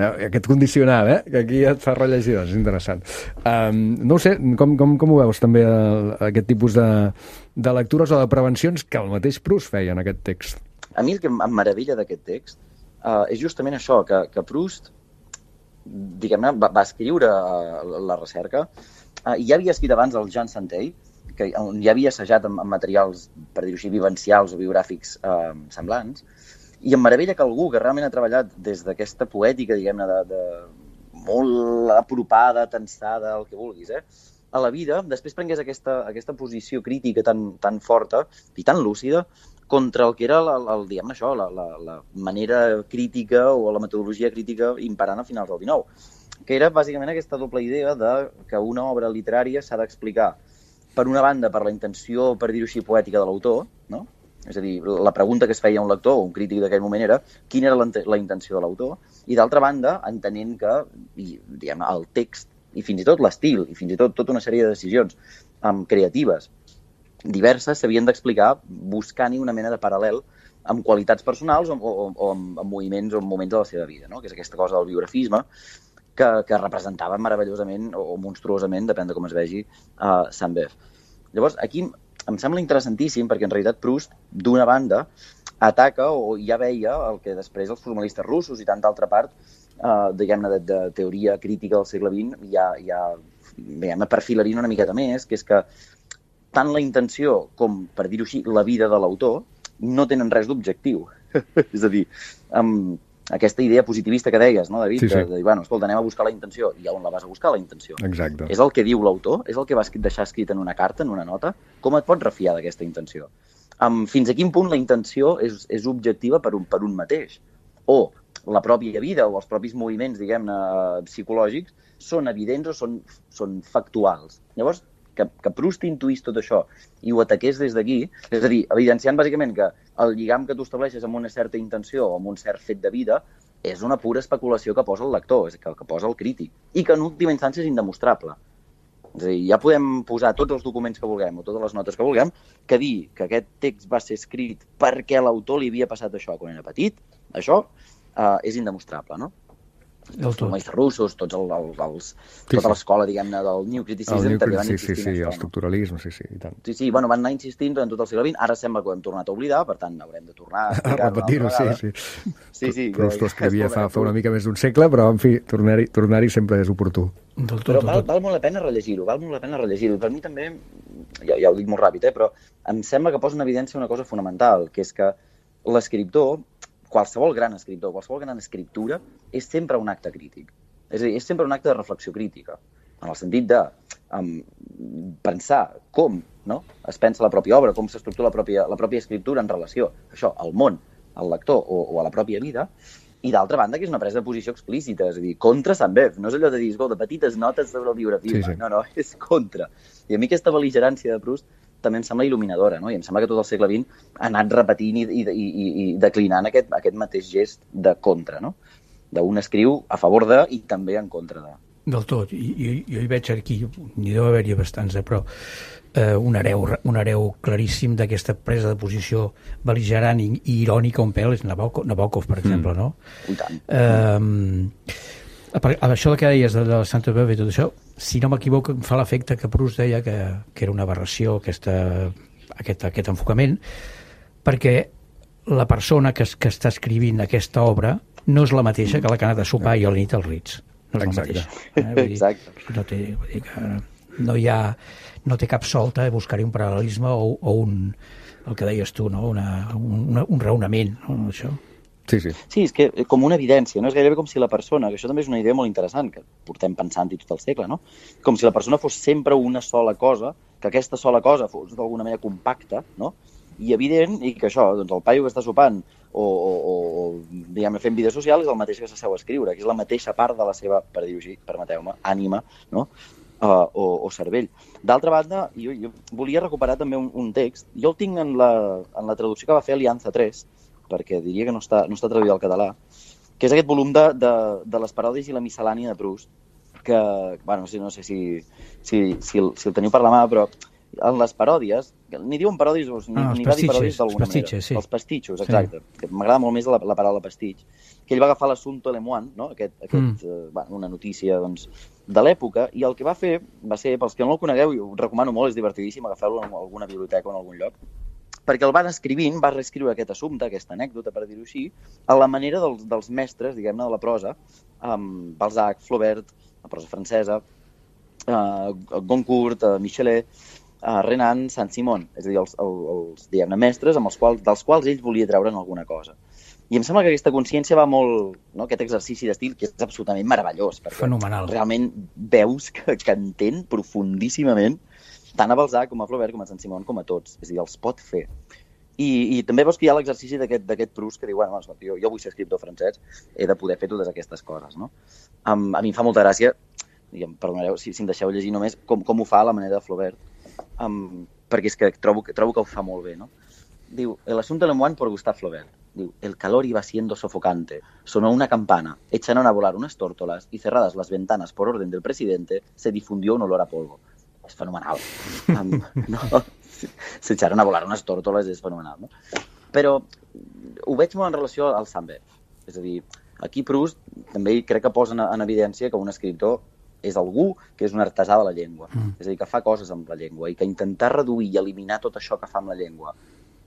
Aquest condicional, eh? Que aquí et fa rellegir, és interessant. Um, no ho sé, com, com, com ho veus també el, aquest tipus de, de lectures o de prevencions que el mateix Proust feia en aquest text? A mi el que em meravella d'aquest text uh, és justament això, que, que Proust diguem-ne, va, va escriure uh, la recerca uh, i ja havia escrit abans el Jean Santey, que on ja havia assajat amb, amb materials, per dir-ho així, vivencials o biogràfics eh, semblants, i em meravella que algú que realment ha treballat des d'aquesta poètica, diguem-ne, de, de molt apropada, tensada, el que vulguis, eh, a la vida, després prengués aquesta, aquesta posició crítica tan, tan forta i tan lúcida contra el que era, el, el, diguem-ne això, la, la, la manera crítica o la metodologia crítica imperant a finals del dinou, que era bàsicament aquesta doble idea de que una obra literària s'ha d'explicar, per una banda, per la intenció, per dir-ho així, poètica de l'autor, no? És a dir, la pregunta que es feia un lector o un crític d'aquell moment era quina era la, la intenció de l'autor, i d'altra banda, entenent que i, diguem, el text i fins i tot l'estil i fins i tot tota una sèrie de decisions um, creatives diverses s'havien d'explicar buscant-hi una mena de paral·lel amb qualitats personals o, o, o amb, amb moviments o amb moments de la seva vida, no? Que és aquesta cosa del biografisme que, que representava meravellosament o, o monstruosament, depèn de com es vegi, uh, Sainte-Beuve. Llavors, aquí em sembla interessantíssim perquè en realitat Proust, d'una banda, ataca o ja veia el que després els formalistes russos i tanta altra part, eh, diguem-ne, de, de teoria crítica del segle vint, ja, ja diguem-ne, perfilarien una miqueta més, que és que tant la intenció com, per dir-ho així, la vida de l'autor no tenen res d'objectiu. És a dir, amb aquesta idea positivista que deies, no, David? Sí, sí. De, de dir, bueno, escolta, anem a buscar la intenció. I on la vas a buscar, la intenció? Exacte. És el que diu l'autor? És el que vas deixar escrit en una carta, en una nota? Com et pots refiar d'aquesta intenció? Um, fins a quin punt la intenció és, és objectiva per un, per un mateix? O la pròpia vida o els propis moviments, diguem-ne, psicològics són evidents o són, són factuals? Llavors, que, que Proust intuís tot això i ho ataqués des d'aquí, és a dir, evidenciant bàsicament que el lligam que tu estableixes amb una certa intenció o amb un cert fet de vida és una pura especulació que posa el lector, és que, que posa el crític, i que en última instància és indemostrable. És a dir, ja podem posar tots els documents que vulguem o totes les notes que vulguem, que dir que aquest text va ser escrit perquè l'autor li havia passat això quan era petit, això eh, és indemostrable, no? Els formalistes russos, tots el, el, els, sí, tota sí. l'escola, diguem-ne, del New Criticism, New també van sí, insistir sí, sí, en això. El estructuralisme, sí, sí, i tant. Sí, sí, bueno, van anar insistint durant tot el segle vint, ara sembla que ho hem tornat a oblidar, per tant, haurem de tornar a explicar-ho. A repetir-ho, sí, sí. Sí, sí. Proust ho escrivia fa, fa una mica més d'un segle, però, en fi, tornar-hi tornar sempre és oportú. Del tot, però del val, tot. val molt la pena rellegir-ho, val molt la pena rellegir-ho. Per mi també, ja, ja ho dic molt ràpid, eh, però em sembla que posa en evidència una cosa fonamental, que és que l'escriptor, qualsevol gran escriptor, qualsevol gran escriptura, és sempre un acte crític. És a dir, és sempre un acte de reflexió crítica, en el sentit de um, pensar com, no? Es pensa la pròpia obra, com s'estructura la pròpia, la pròpia escriptura en relació això, al món, al lector o, o a la pròpia vida, i d'altra banda que és una presa de posició explícita, és a dir, contra Sainte-Beuve, no és allò de dir, escolta, petites notes sobre el biografisme, sí, sí. no, no, és contra. I a mi aquesta bel·ligerància de Proust també em sembla il·luminadora, no? I em sembla que tot el segle vint ha anat repetint i, i, i, i declinant aquest, aquest mateix gest de contra, no? D'un escriu a favor de i també en contra de. Del tot. I, i, jo hi veig aquí, n'hi deu haver-hi bastants, però eh, un, hereu, un hereu claríssim d'aquesta presa de posició bel·ligerant i, i irònica un pèl és Nabokov, Nabokov per exemple, mm. no? I tant. Eh, a, a això que deies de la Sainte-Beuve i tot això, si no m'equivoco, em fa l'efecte que Proust deia que, que era una aberració aquesta, aquest, aquest enfocament, perquè la persona que, que està escrivint aquesta obra no és la mateixa que la que ha anat a sopar i a la nit als Ritz. No és la mateixa. Eh? Vull dir, Exacte. No té, vull dir que no hi ha, no té cap solta buscar-hi un paral·lelisme o, o un, el que deies tu, no? Una, un, un raonament, no? Això. Sí, sí. Sí, és que com una evidència, no? És gairebé com si la persona, que això també és una idea molt interessant, que portem pensant-hi tot el segle, no? Com si la persona fos sempre una sola cosa, que aquesta sola cosa fos d'alguna manera compacta, no? I evident, i que això, doncs el paio que està sopant o, o, o diguem, fent vida social és el mateix que s'asseu a escriure, que és la mateixa part de la seva, per dir-ho així, permeteu-me, ànima, no? Uh, o, o cervell. D'altra banda, jo, jo volia recuperar també un, un text, jo el tinc en la, en la traducció que va fer Alianza tres, perquè diria que no està, no està traduït al català, que és aquest volum de, de, de les paròdies i la miscel·lània de Proust, que, bueno, no sé, no sé si, si, si, el, si el teniu per la mà, però en les paròdies, ni diuen paròdies, ni, ah, ni va dir paròdies d'alguna manera. Sí. Els pastitxos, exacte. Sí. Que m'agrada molt més la, la paraula pastitx. Que ell va agafar l'assumpte Le Moine, no? aquest, aquest, mm. eh, bueno, una notícia doncs, de l'època, i el que va fer va ser, pels que no el conegueu, i ho recomano molt, és divertidíssim, agafeu-lo en alguna biblioteca o en algun lloc, perquè el van escrivint, va reescriure aquest assumpte, aquesta anècdota, per dir-ho així, a la manera dels, dels mestres, diguem-ne, de la prosa, amb Balzac, Flaubert, la prosa francesa, eh, Goncourt, eh, Michelet, uh, Renan Saint-Simon, és a dir, els, els, els diguem-ne, mestres amb els quals, dels quals ell volia treure'n alguna cosa. I em sembla que aquesta consciència va molt... No? Aquest exercici d'estil que és absolutament meravellós. Perquè fenomenal. Realment veus que, que entén profundíssimament tant a Balzac com a Flaubert com a Saint-Simon com a tots. És a dir, els pot fer. I, i també veus que hi ha l'exercici d'aquest Proust que diu, bueno, jo, jo vull ser escriptor francès, he de poder fer totes aquestes coses. No? Um, a mi em fa molta gràcia, i em perdonareu si, si em deixeu llegir només, com, com ho fa a la manera de Flaubert, um, perquè és que trobo, trobo que ho fa molt bé. No? Diu, el asunto le moine por Gustave Flaubert. Diu, el calor iba siendo sofocante. Sonó una campana, echaron a volar unas tórtolas y cerradas las ventanas por orden del presidente, se difundió un olor a polvo. És fenomenal. Um, no? Se echaron a volar unes tórtoles, és fenomenal. No? Però ho veig molt en relació al Saint-Beuve. És a dir, aquí Proust també crec que posa en, en evidència que un escriptor és algú que és un artesà de la llengua. Mm. És a dir, que fa coses amb la llengua i que intentar reduir i eliminar tot això que fa amb la llengua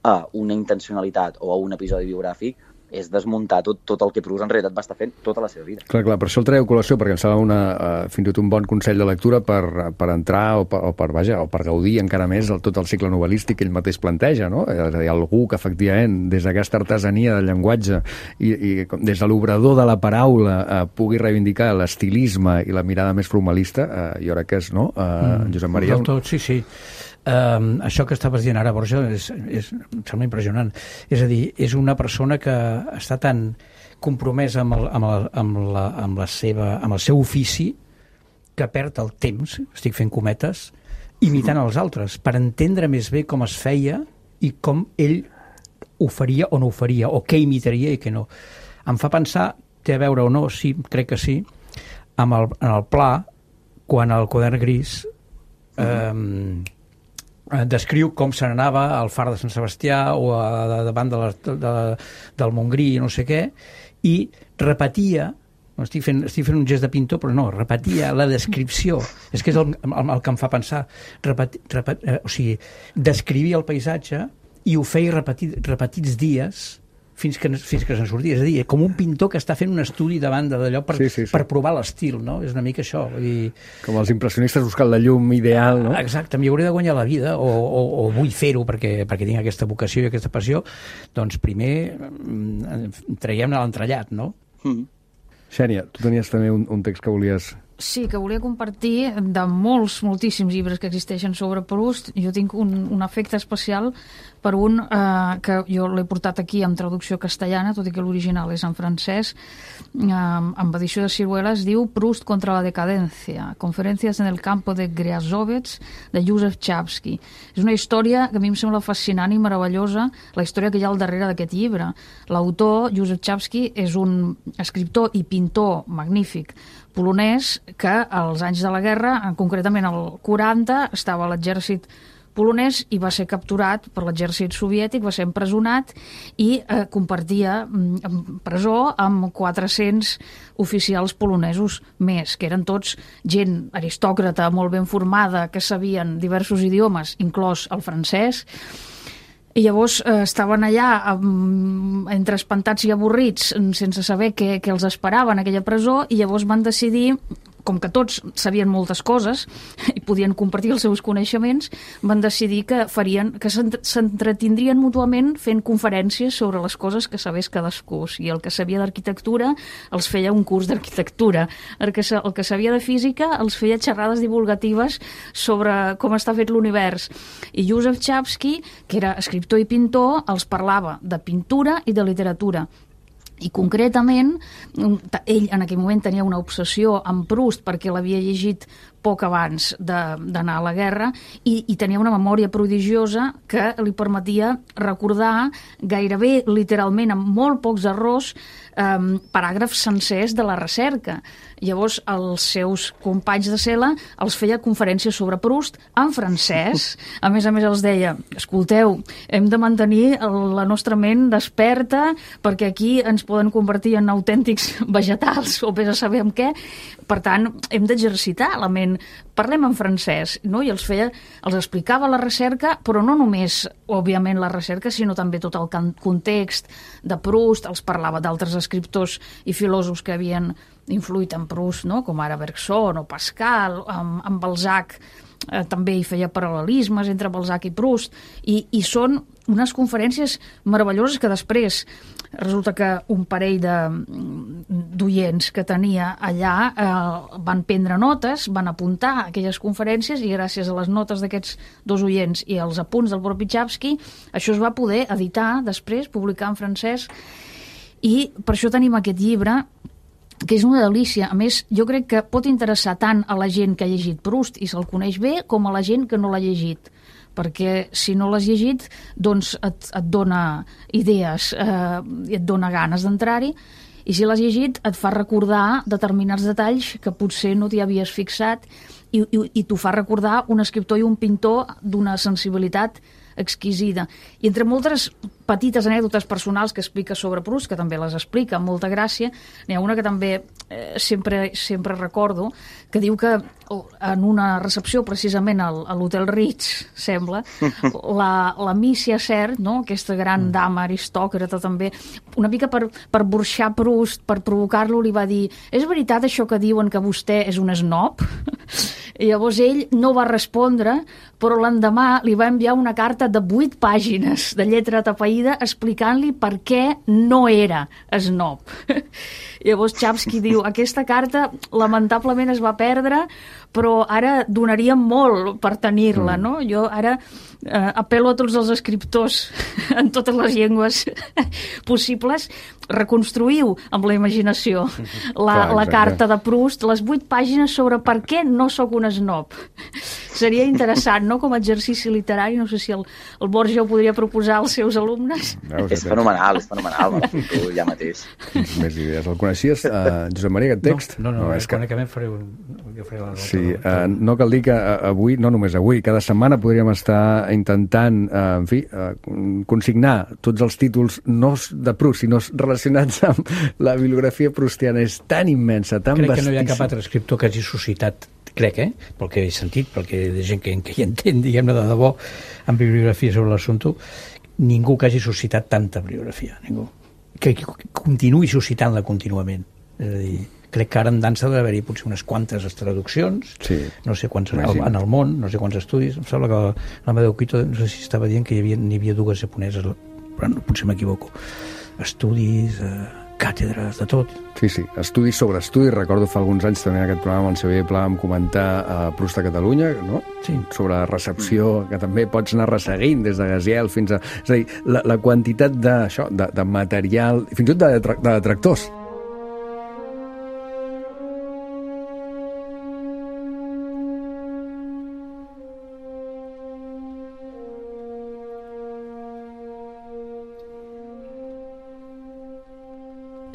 a una intencionalitat o a un episodi biogràfic és desmuntar tot, tot el que Proust en realitat va estar fent tota la seva vida. Clar, clar, per això el traieu a col·lació, perquè em sembla una, uh, fins i tot un bon consell de lectura per, per entrar o per, o per, vaja, o per gaudir encara més el, tot el cicle novel·lístic que ell mateix planteja, no? És a dir, algú que efectivament des d'aquesta artesania del llenguatge i, i des de l'obrador de la paraula uh, pugui reivindicar l'estilisme i la mirada més formalista, uh, jo crec que és, no? Uh, mm, Josep Maria... Del tot, sí, sí. Um, això que estaves dient ara, Borja, és, és, em sembla impressionant. És a dir, és una persona que està tan compromesa amb el, amb el, amb la, amb la seva, amb el seu ofici que perd el temps, estic fent cometes, imitant els altres, per entendre més bé com es feia i com ell ho faria o no ho faria, o què imitaria i què no. Em fa pensar, té a veure o no, sí, crec que sí, amb el, en el Pla, quan el Quadern Gris eh, descriu com se n'anava al far de Sant Sebastià o a, a, davant de la, de, del Montgrí i no sé què, i repetia, no, estic, fent, estic fent un gest de pintor, però no, repetia la descripció, és que és el, el, el que em fa pensar, repet, repet, eh, o sigui, descrivia el paisatge i ho feia repetit, repetits dies fins que, fins que se'n sortia. És a dir, com un pintor que està fent un estudi davant d'allò per, sí, sí, sí. per provar l'estil, no? És una mica això. Vull dir... Com els impressionistes buscant la llum ideal, no? Exacte, m'hi hauré de guanyar la vida, o, o, o vull fer-ho perquè, perquè tinc aquesta vocació i aquesta passió, doncs primer traiem-ne l'entrellat, no? Mm. Xènia, tu tenies també un, un text que volies... Sí, que volia compartir de molts, moltíssims llibres que existeixen sobre Proust. Jo tinc un, un efecte especial per un eh, que jo l'he portat aquí en traducció castellana, tot i que l'original és en francès, eh, amb edició de Siruela. Es diu Proust contra la decadencia, conferències en el campo de Griazovets, de Joseph Chbosky. És una història que a mi em sembla fascinant i meravellosa, la història que hi ha al darrere d'aquest llibre. L'autor, Joseph Chbosky, és un escriptor i pintor magnífic polonès que als anys de la guerra, concretament al quaranta, estava a l'exèrcit polonès i va ser capturat per l'exèrcit soviètic, va ser empresonat i eh, compartia mm, presó amb quatre-cents oficials polonesos més, que eren tots gent aristòcrata, molt ben formada, que sabien diversos idiomes, inclòs el francès. I llavors eh, estaven allà um, entre espantats i avorrits sense saber què, què els esperava en aquella presó, i llavors van decidir, com que tots sabien moltes coses i podien compartir els seus coneixements, van decidir que farien que s'entretindrien mútuament fent conferències sobre les coses que sabés cadascú. O sigui, el que sabia d'arquitectura els feia un curs d'arquitectura, el que, el que sabia de física els feia xerrades divulgatives sobre com està fet l'univers. I Joseph Chbosky, que era escriptor i pintor, els parlava de pintura i de literatura. I concretament, ell en aquell moment tenia una obsessió amb Proust perquè l'havia llegit poc abans d'anar a la guerra i, i tenia una memòria prodigiosa que li permetia recordar gairebé literalment, amb molt pocs errors, eh, paràgrafs sencers de la recerca. Llavors, els seus companys de cel·la els feia conferències sobre Proust en francès. A més a més, els deia, escolteu, hem de mantenir la nostra ment desperta perquè aquí ens poden convertir en autèntics vegetals o vés a saber amb què. Per tant, hem d'exercitar la ment. Parlem en francès, no? I els feia, els explicava la recerca, però no només, òbviament, la recerca, sinó també tot el context de Proust. Els parlava d'altres escriptors i filòsofs que havien influït en Proust, no? Com ara Bergson o Pascal, amb, amb Balzac. eh, també hi feia paral·lelismes entre Balzac i Proust, i, i són unes conferències meravelloses que després resulta que un parell d'oients que tenia allà eh, van prendre notes, van apuntar aquelles conferències, i gràcies a les notes d'aquests dos oients i als apunts del propi Chapsky, això es va poder editar després, publicar en francès, i per això tenim aquest llibre, que és una delícia. A més, jo crec que pot interessar tant a la gent que ha llegit Proust i se'l coneix bé, com a la gent que no l'ha llegit, perquè si no l'has llegit, doncs et, et dona idees eh, i et dona ganes d'entrar-hi, i si l'has llegit et fa recordar determinats detalls que potser no t'hi havies fixat, i, i, i t'ho fa recordar un escriptor i un pintor d'una sensibilitat exquisida. I entre moltes petites anècdotes personals que explica sobre Proust, que també les explica amb molta gràcia, n'hi ha una que també eh, sempre, sempre recordo, que diu que en una recepció precisament al, a l'Hotel Ritz, sembla, la, la Mícia Sert, no? Aquesta gran dama aristòcrata també, una mica per, per burxar Proust, per provocar-lo, li va dir: és veritat això que diuen que vostè és un snob? I llavors ell no va respondre, però l'endemà li va enviar una carta de vuit pàgines de lletra tapaïda explicant-li per què no era snob. I llavors Chapsky diu: aquesta carta lamentablement es va perdre, però ara donaria molt per tenir-la, no? Jo ara eh, apel·lo a tots els escriptors en totes les llengües possibles, reconstruïu amb la imaginació la, la carta de Proust, les vuit pàgines sobre per què no sóc un snob. Seria interessant, no?, com a exercici literari. No sé si el, el Borja ho podria proposar als seus alumnes. Veus, és fenomenal, és fenomenal, me l'apunto ja mateix. Més idees. El coneixies, uh, Josep Maria, aquest text? No, no, no, no és que... que faré un... Jo faré la sí, uh, no cal dir que uh, avui, no només avui, cada setmana podríem estar intentant, uh, en fi, uh, consignar tots els títols no de Proust, sinó relacionats amb la bibliografia proustiana. És tan immensa, tan vastíssima. Crec que no hi ha cap altre escriptor que hagi suscitat, crec, eh? pel que he sentit, perquè hi ha gent que, que hi entén, diguem-ne, de debò, en bibliografia sobre l'assumpte, ningú que hagi suscitat tanta bibliografia, ningú. Que, que continuï suscitant-la contínuament. És a dir, crec que ara en dansa deu haver-hi potser unes quantes traduccions, sí, no sé quants al, en el món, no sé quants estudis. Em sembla que l'Amadeu Quito, no sé si estava dient que hi havia, n'hi havia dues japoneses, però no, potser m'equivoco. Estudis, eh, càtedres, de tot. Sí, sí, estudis sobre estudis. Recordo fa alguns anys també en aquest programa amb el Xavier Pla vam comentar a Proust a Catalunya, no? Sí. Sobre recepció, que també pots anar resseguint des de Gaziel fins a... És a dir, la, la quantitat de, això, de, de material, fins i tot de, de, de detractors.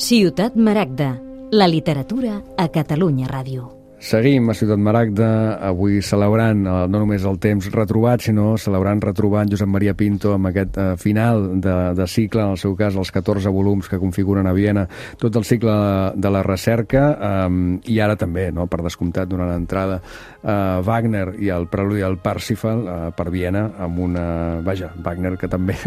Ciutat Maragda, la literatura a Catalunya Ràdio. Seguim a Ciutat Maragda, avui celebrant eh, no només el temps retrobat, sinó celebrant retrobant Josep Maria Pinto amb aquest eh, final de, de cicle, en el seu cas els catorze volums que configuren a Viena, tot el cicle de la recerca, eh, i ara també, no, per descomptat, donant entrada a eh, Wagner i el preludi al Parsifal eh, per Viena, amb una... Vaja, Wagner, que també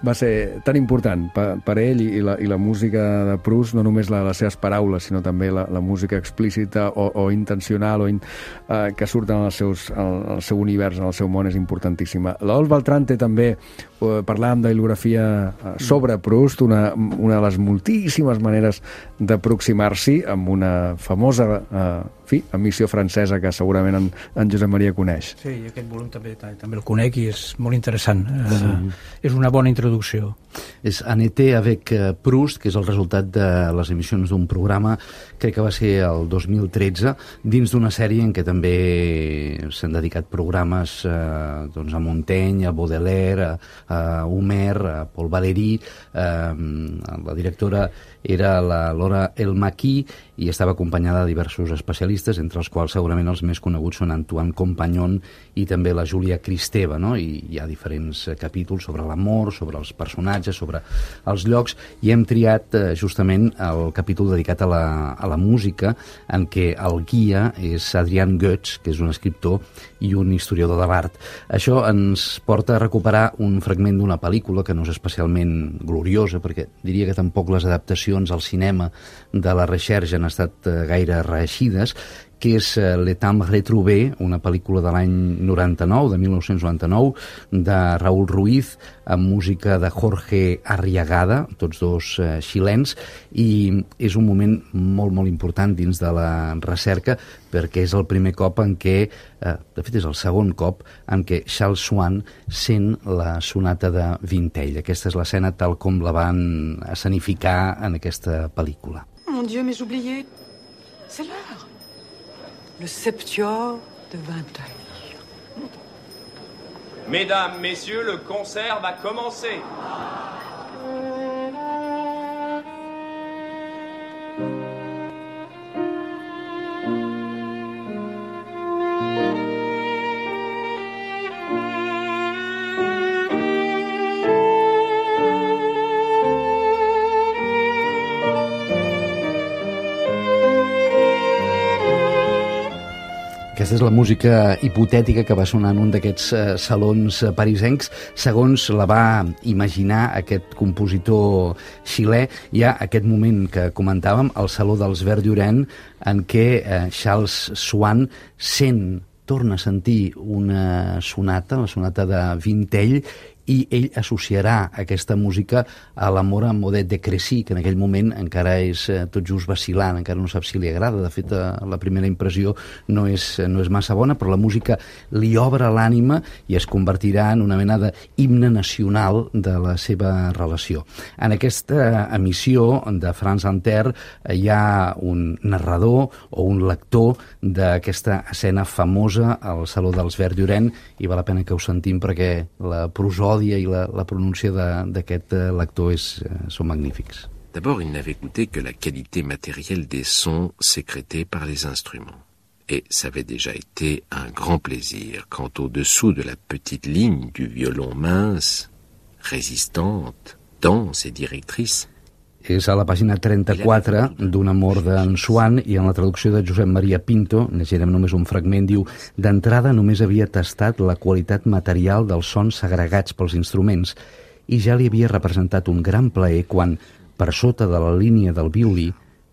va ser tan important per, per ell, i la, i la música de Proust, no només la de les seves paraules, sinó també la, la música explícita o, o intencional o in, eh, que surten en, els seus, en el seu univers, en el seu món, és importantíssima. L'Adolf Beltrán té també, eh, parlàvem de bibliografia eh, sobre Proust, una, una de les moltíssimes maneres d'aproximar-s'hi, amb una famosa eh, fi, emissió francesa que segurament en, en Josep Maria coneix. Sí, aquest volum també, també el conec i és molt interessant. Sí. Eh, és una bona introducció. És En été avec Proust, que és el resultat de les emissions d'un programa, crec que va ser el dos mil tretze, dins d'una sèrie en què també s'han dedicat programes eh, doncs a Montaigne, a Baudelaire, a, a Homer, a Paul Valéry. Eh, la directora era la Laura Elmaqui i estava acompanyada de diversos especialistes, entre els quals segurament els més coneguts són Antoine Compagnon i també la Júlia Kristeva, no? I hi ha diferents capítols sobre l'amor, sobre els personatges, sobre els llocs, i hem triat eh, justament el capítol dedicat a la, a la música, en què el guia és Adrian Goetz, que és un escriptor i un historiador de l'art. Això ens porta a recuperar un fragment d'una pel·lícula que no és especialment gloriosa, perquè diria que tampoc les adaptacions al cinema de la Recherche han estat eh, gaire reeixides, que és Le Temps Retrouvé, una pel·lícula de l'any noranta-nou, de mil nou-cents noranta-nou, de Raúl Ruiz, amb música de Jorge Arriagada, tots dos eh, xilens, i és un moment molt, molt important dins de la recerca, perquè és el primer cop en què, eh, de fet és el segon cop, en què Charles Swann sent la sonata de Vintell. Aquesta és l'escena tal com la van escenificar en aquesta pel·lícula. Mon Dieu, mais j'oubliais. C'est l'heure. Le septuor de Vinteuil. Mesdames, messieurs, le concert va commencer. Aquesta és la música hipotètica que va sonar en un d'aquests eh, salons parisencs. Segons la va imaginar aquest compositor xilè, hi ha aquest moment que comentàvem, el Saló dels Verds en què eh, Charles Swann sent, torna a sentir una sonata, la sonata de Vintell, i ell associarà aquesta música a l'amor amb Odette de Crécy, que en aquell moment encara és eh, tot just vacil·lant, encara no sap si li agrada. De fet, eh, la primera impressió no és, no és massa bona, però la música li obre l'ànima i es convertirà en una mena d'himne nacional de la seva relació. En aquesta emissió de France Inter eh, hi ha un narrador o un lector d'aquesta escena famosa al Saló dels Verds Llorenç, i val la pena que ho sentim perquè la prosòdia i la, la pronúncia d'aquest lector és, són magnífics. D'abord, il n'avait écouté que la qualité matérielle des sons sécrétés par les instruments. Et ça avait déjà été un grand plaisir quand au-dessous de la petite ligne du violon mince, résistante, dense et directrice, és a la pàgina trenta-quatre d'un amor d'en Swann, i en la traducció de Josep Maria Pinto, llegirem només un fragment, diu: d'entrada només havia tastat la qualitat material dels sons segregats pels instruments i ja li havia representat un gran plaer quan, per sota de la línia del violí,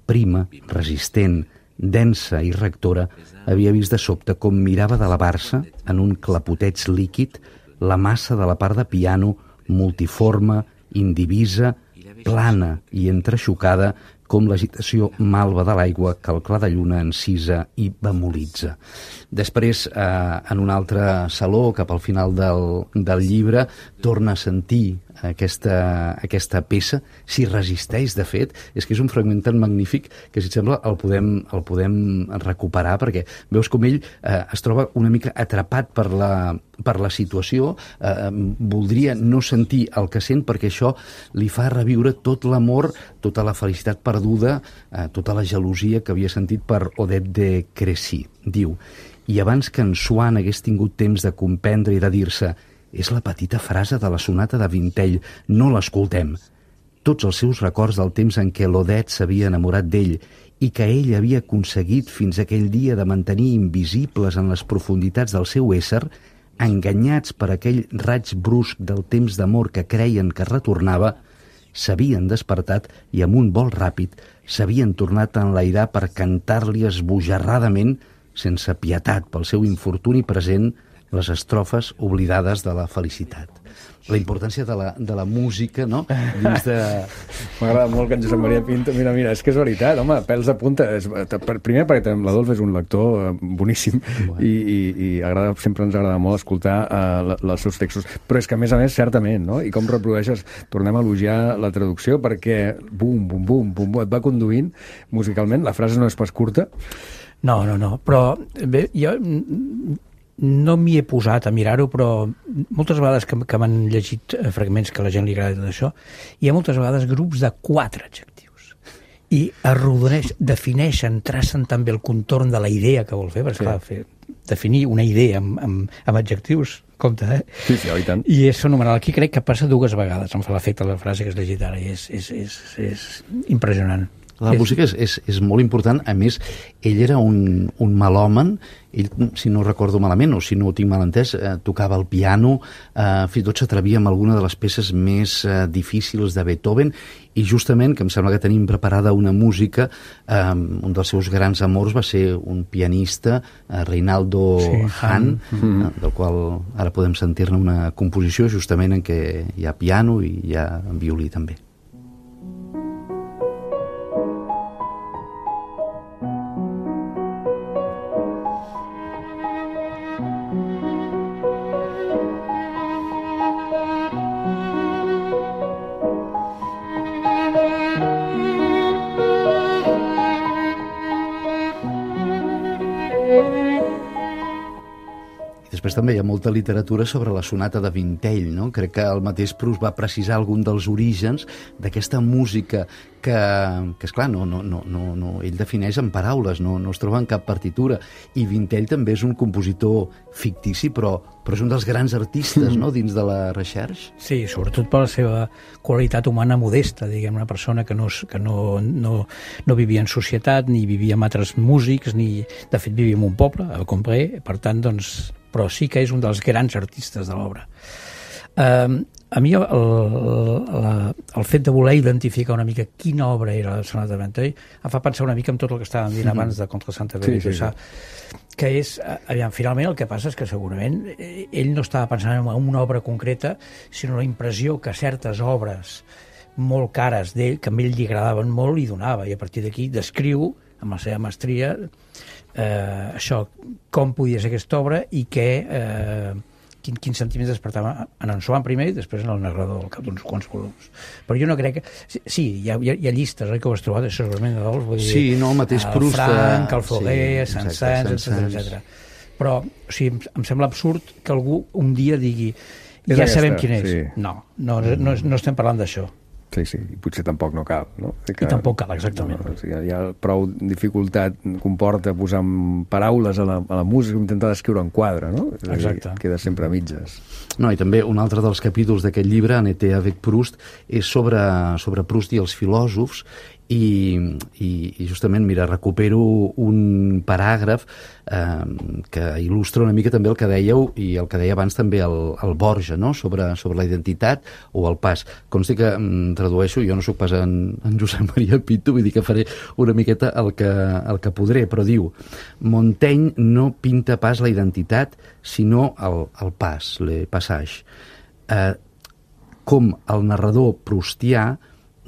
prima, resistent, densa i rectora, havia vist de sobte com mirava d'elevar-se en un clapoteig líquid la massa de la part de piano multiforme, indivisa, plana i entrexocada com l'agitació malva de l'aigua que el clar de lluna encisa i bemolitza. Després, eh, en un altre saló, cap al final del, del llibre, torna a sentir aquesta, aquesta peça, s'hi resisteix, de fet. És que és un fragment tan magnífic que, si et sembla, el podem, el podem recuperar, perquè veus com ell eh, es troba una mica atrapat per la, per la situació, eh, voldria no sentir el que sent perquè això li fa reviure tot l'amor, tota la felicitat perduda, eh, tota la gelosia que havia sentit per Odette de Crécy. Diu: i abans que en Swann hagués tingut temps de comprendre i de dir-se «és la petita frase de la sonata de Vintell, no l'escoltem», tots els seus records del temps en què l'Odette s'havia enamorat d'ell i que ell havia aconseguit fins aquell dia de mantenir invisibles en les profunditats del seu ésser, enganyats per aquell raig brusc del temps d'amor que creien que retornava, s'havien despertat i amb un vol ràpid s'havien tornat a enlairar per cantar-li esbojarradament, sense pietat pel seu infortuni present, les estrofes oblidades de la felicitat. La importància de la, de la música, no? Dins de... M'agrada molt que en Josep Maria Pinto... Mira, mira, és que és veritat, home, pèls de punta. És, primer perquè l'Adolf és un lector boníssim, bueno. i, i, i agrada, sempre ens agrada molt escoltar uh, els seus textos. Però és que, a més a més, certament, no? I com reprodueixes, tornem a elogiar la traducció, perquè bum, bum, bum, bum, bum, et va conduint musicalment. La frase no és pas curta. No, no, no, però bé, jo no m'hi he posat a mirar-ho, però moltes vegades que, que m'han llegit fragments que a la gent li agrada tot això, hi ha moltes vegades grups de quatre adjectius i arrodoneix, defineixen, tracen també el contorn de la idea que vol fer, perquè sí. Clar, fer, definir una idea amb, amb, amb adjectius, compte, eh? Sí, sí, i tant. I és fenomenal. Aquí crec que passa dues vegades, em fa l'efecte la frase que has llegit ara, i és, és, és, és impressionant. La música és, és, és molt important. A més, ell era un, un melòman. Ell, si no recordo malament, o si no ho tinc mal entès, eh, tocava el piano, eh, fins i tot s'atrevia amb alguna de les peces més eh, difícils de Beethoven, i justament, que em sembla que tenim preparada una música, eh, un dels seus grans amors va ser un pianista, eh, Reinaldo sí, Hahn, mm-hmm. eh, del qual ara podem sentir-ne una composició justament en què hi ha piano i hi ha violí també. Després també hi ha molta literatura sobre la sonata de Vintell, no? Crec que el mateix Proust va precisar algun dels orígens d'aquesta música que, que esclar, no, no, no, no, no, ell defineix en paraules, no, no es troba en cap partitura, i Vintell també és un compositor fictici, però, però és un dels grans artistes, no?, dins de la recerca. Sí, sobretot per la seva qualitat humana modesta, diguem, una persona que no, que no, no, no vivia en societat, ni vivia amb altres músics, ni, de fet vivia en un poble, a Combré, per tant, doncs, però sí que és un dels grans artistes de l'obra. Uh, a mi el, el, el fet de voler identificar una mica quina obra era la sonata de Vintell em fa pensar una mica en tot el que estàvem dint abans de Contre Santa Fe, sí, sí, sí. Que és, aviam, finalment el que passa és que segurament ell no estava pensant en una obra concreta, sinó la impressió que certes obres molt cares d'ell, que a ell li agradaven molt, li donava, i a partir d'aquí descriu amb la seva mestria eh, això, com podia ser aquesta obra i què eh, quin, quins sentiments despertava en en Swann primer i després en el narrador al cap d'uns quants volums. Però jo no crec que... Sí, hi ha, hi ha, hi ha llistes, oi, que ho has trobat, això segurament de dolç, vull dir... Sí, no, el mateix Proust... El Frank, el Foguer, sí, Saint-Saëns, etcètera, etcètera. Però, o sigui, em, em sembla absurd que algú un dia digui ja aquesta, sabem quin és. Sí. No, no, no, no estem parlant d'això. Sí, sí, i potser tampoc no cal, no? Que, I tampoc cal, exactament. No, o sigui, hi ha prou dificultat, comporta posar paraules a la, a la música, intentar descriure en quadre, no? És Exacte. Dir, queda sempre a mitges. No, i també un altre dels capítols d'aquest llibre, En été avec Proust, és sobre, sobre Proust i els filòsofs, i, i, i justament, mira, recupero un paràgraf eh, que il·lustra una mica també el que dèieu i el que deia abans també el, el Borja, no?, sobre, sobre la identitat o el pas. Consti que em tradueixo, jo no sóc pas en, en Josep Maria Pinto, vull dir que faré una miqueta el que, el que podré, però diu: Montaigne no pinta pas la identitat, sinó el, el pas, le passage. Eh, com el narrador proustià,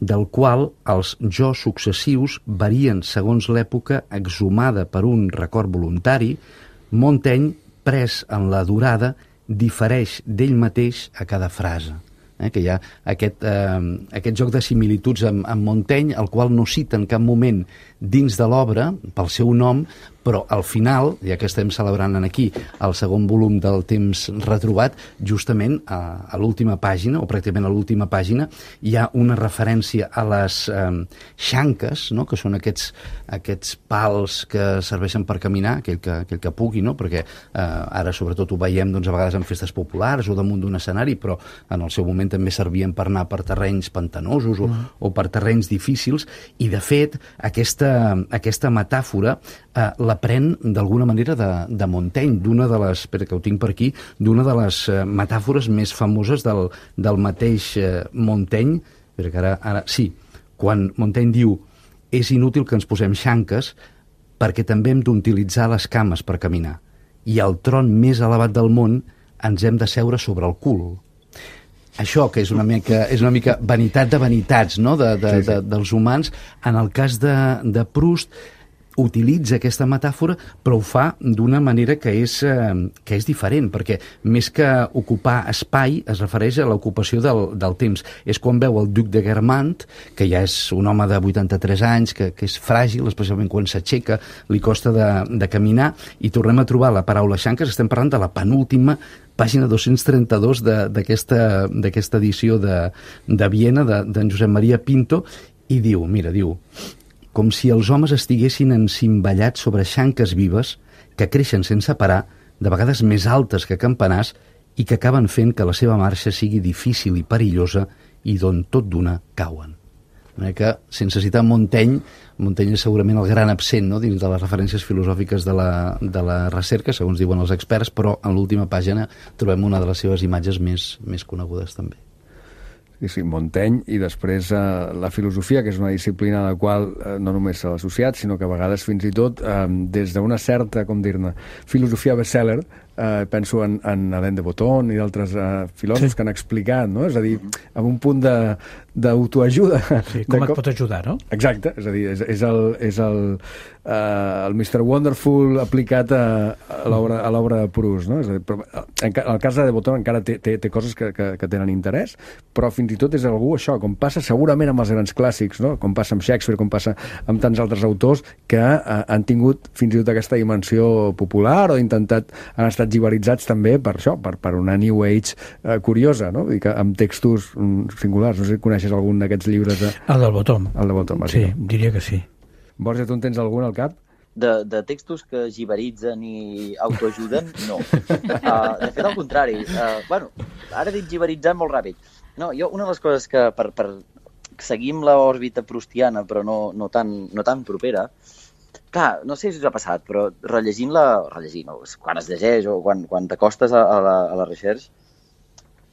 del qual els jo successius varien segons l'època exhumada per un record voluntari, Montaigne, pres en la durada, difereix d'ell mateix a cada frase. Eh, que hi ha aquest, eh, aquest joc de similituds amb, amb Montaigne, el qual no cita en cap moment dins de l'obra, pel seu nom, però al final, ja que estem celebrant aquí el segon volum del Temps retrobat, justament a, a l'última pàgina, o pràcticament a l'última pàgina, hi ha una referència a les eh, xanques, no?, que són aquests, aquests pals que serveixen per caminar, aquell que, aquell que pugui, no?, perquè eh, ara sobretot ho veiem doncs, a vegades en festes populars o damunt d'un escenari, però en el seu moment també servien per anar per terrenys pantanosos o, mm. o per terrenys difícils, i de fet aquesta, aquesta metàfora eh, la pren d'alguna manera de, de Montaigne, d'una de les, espera que ho tinc per aquí, d'una de les eh, metàfores més famoses del, del mateix eh, Montaigne, espera que ara, ara, sí, quan Montaigne diu: és inútil que ens posem xanques perquè també hem d'utilitzar les cames per caminar, i al tron més elevat del món ens hem de seure sobre el cul. Això, que és una mica, és una mica vanitat de vanitats, no?, de, de, sí, sí. De, dels humans, en el cas de, de Proust, utilitza aquesta metàfora, però ho fa d'una manera que és, eh, que és diferent, perquè més que ocupar espai es refereix a l'ocupació del, del temps. És quan veu el duc de Guermantes, que ja és un home de vuitanta-tres anys, que, que és fràgil, especialment quan s'aixeca, li costa de, de caminar, i tornem a trobar la paraula xanques. Estem parlant de la penúltima pàgina dos-cents trenta-dos d'aquesta d'aquesta edició de, de Viena, d'en de, Josep Maria Pinto, i diu, mira, diu: com si els homes estiguessin encimballats sobre xanques vives que creixen sense parar, de vegades més altes que campanars, i que acaben fent que la seva marxa sigui difícil i perillosa i d'on tot d'una cauen. que, sense citar Montaigne, Montaigne és segurament el gran absent, no?, dins de les referències filosòfiques de la, de la recerca, segons diuen els experts, però en l'última pàgina trobem una de les seves imatges més, més conegudes també. Sí, sí, Montaigne, i després eh, la filosofia, que és una disciplina a la qual eh, no només s'ha associat, sinó que a vegades fins i tot eh, des d'una certa, com dir-ne, filosofia bestseller, eh, penso en, en Alain de Botton i d'altres eh, filòsofs sí. que han explicat, no? És a dir, amb un punt de d'autoajuda. Sí, com et pot ajudar, no? Exacte, és a dir, és, és el, és el, uh, el mister Wonderful aplicat a, a l'obra a l'obra de Proust, no? És a dir, però, en, en el cas de De Botton encara té, té, té coses que, que, que tenen interès, però fins i tot és algú, això, com passa segurament amb els grans clàssics, no? Com passa amb Shakespeare, com passa amb tants altres autors que uh, han tingut fins i tot aquesta dimensió popular o intentat, han estat gibaritzats també per això, per, per una New Age uh, curiosa, no? Vull dir que amb textos um, singulars, no sé si coneixes algun d'aquests llibres de... El del Bottom. El de Bottom, sí, diria que sí. Borja, tu en tens algun al cap? De, de textos que gibaritzen i autoajuden, no. Uh, de fet, al contrari. Uh, bueno, ara he dit gibaritzar molt ràpid. No, jo, una de les coses que per, per seguir amb l'òrbita proustiana, però no, no, tan, no tan propera, clar, no sé si us ha passat, però rellegint-la, rellegint, o quan es llegeix o quan, quan t'acostes a, a, la, a la recerca,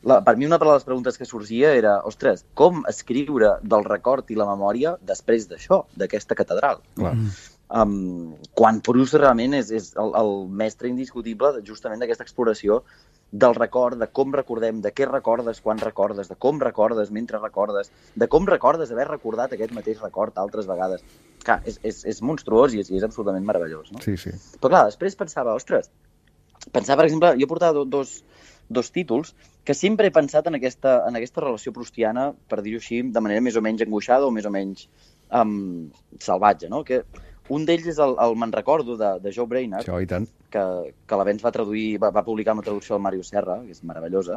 La, per mi una de les preguntes que sorgia era, ostres, com escriure del record i la memòria després d'això, d'aquesta catedral? Clar. Um, quan Proust realment és, és el, el mestre indiscutible justament d'aquesta exploració del record, de com recordem, de què recordes quan recordes, de com recordes mentre recordes, de com recordes haver recordat aquest mateix record altres vegades. Clar, és, és, és monstruós i és, i és absolutament meravellós, no? Sí, sí. Però clar, després pensava, ostres, pensava, per exemple, jo portava dos... dos títols que sempre he pensat en aquesta, en aquesta relació proustiana, per dir-ho així, de manera més o menys angoixada o més o menys um, salvatge, no? Que un d'ells és el, el Me'n recordo, de, de Joe Brainerd, Això, i tant. que, que l'Avenç va traduir, va, va publicar una traducció del Mario Serra, que és meravellosa,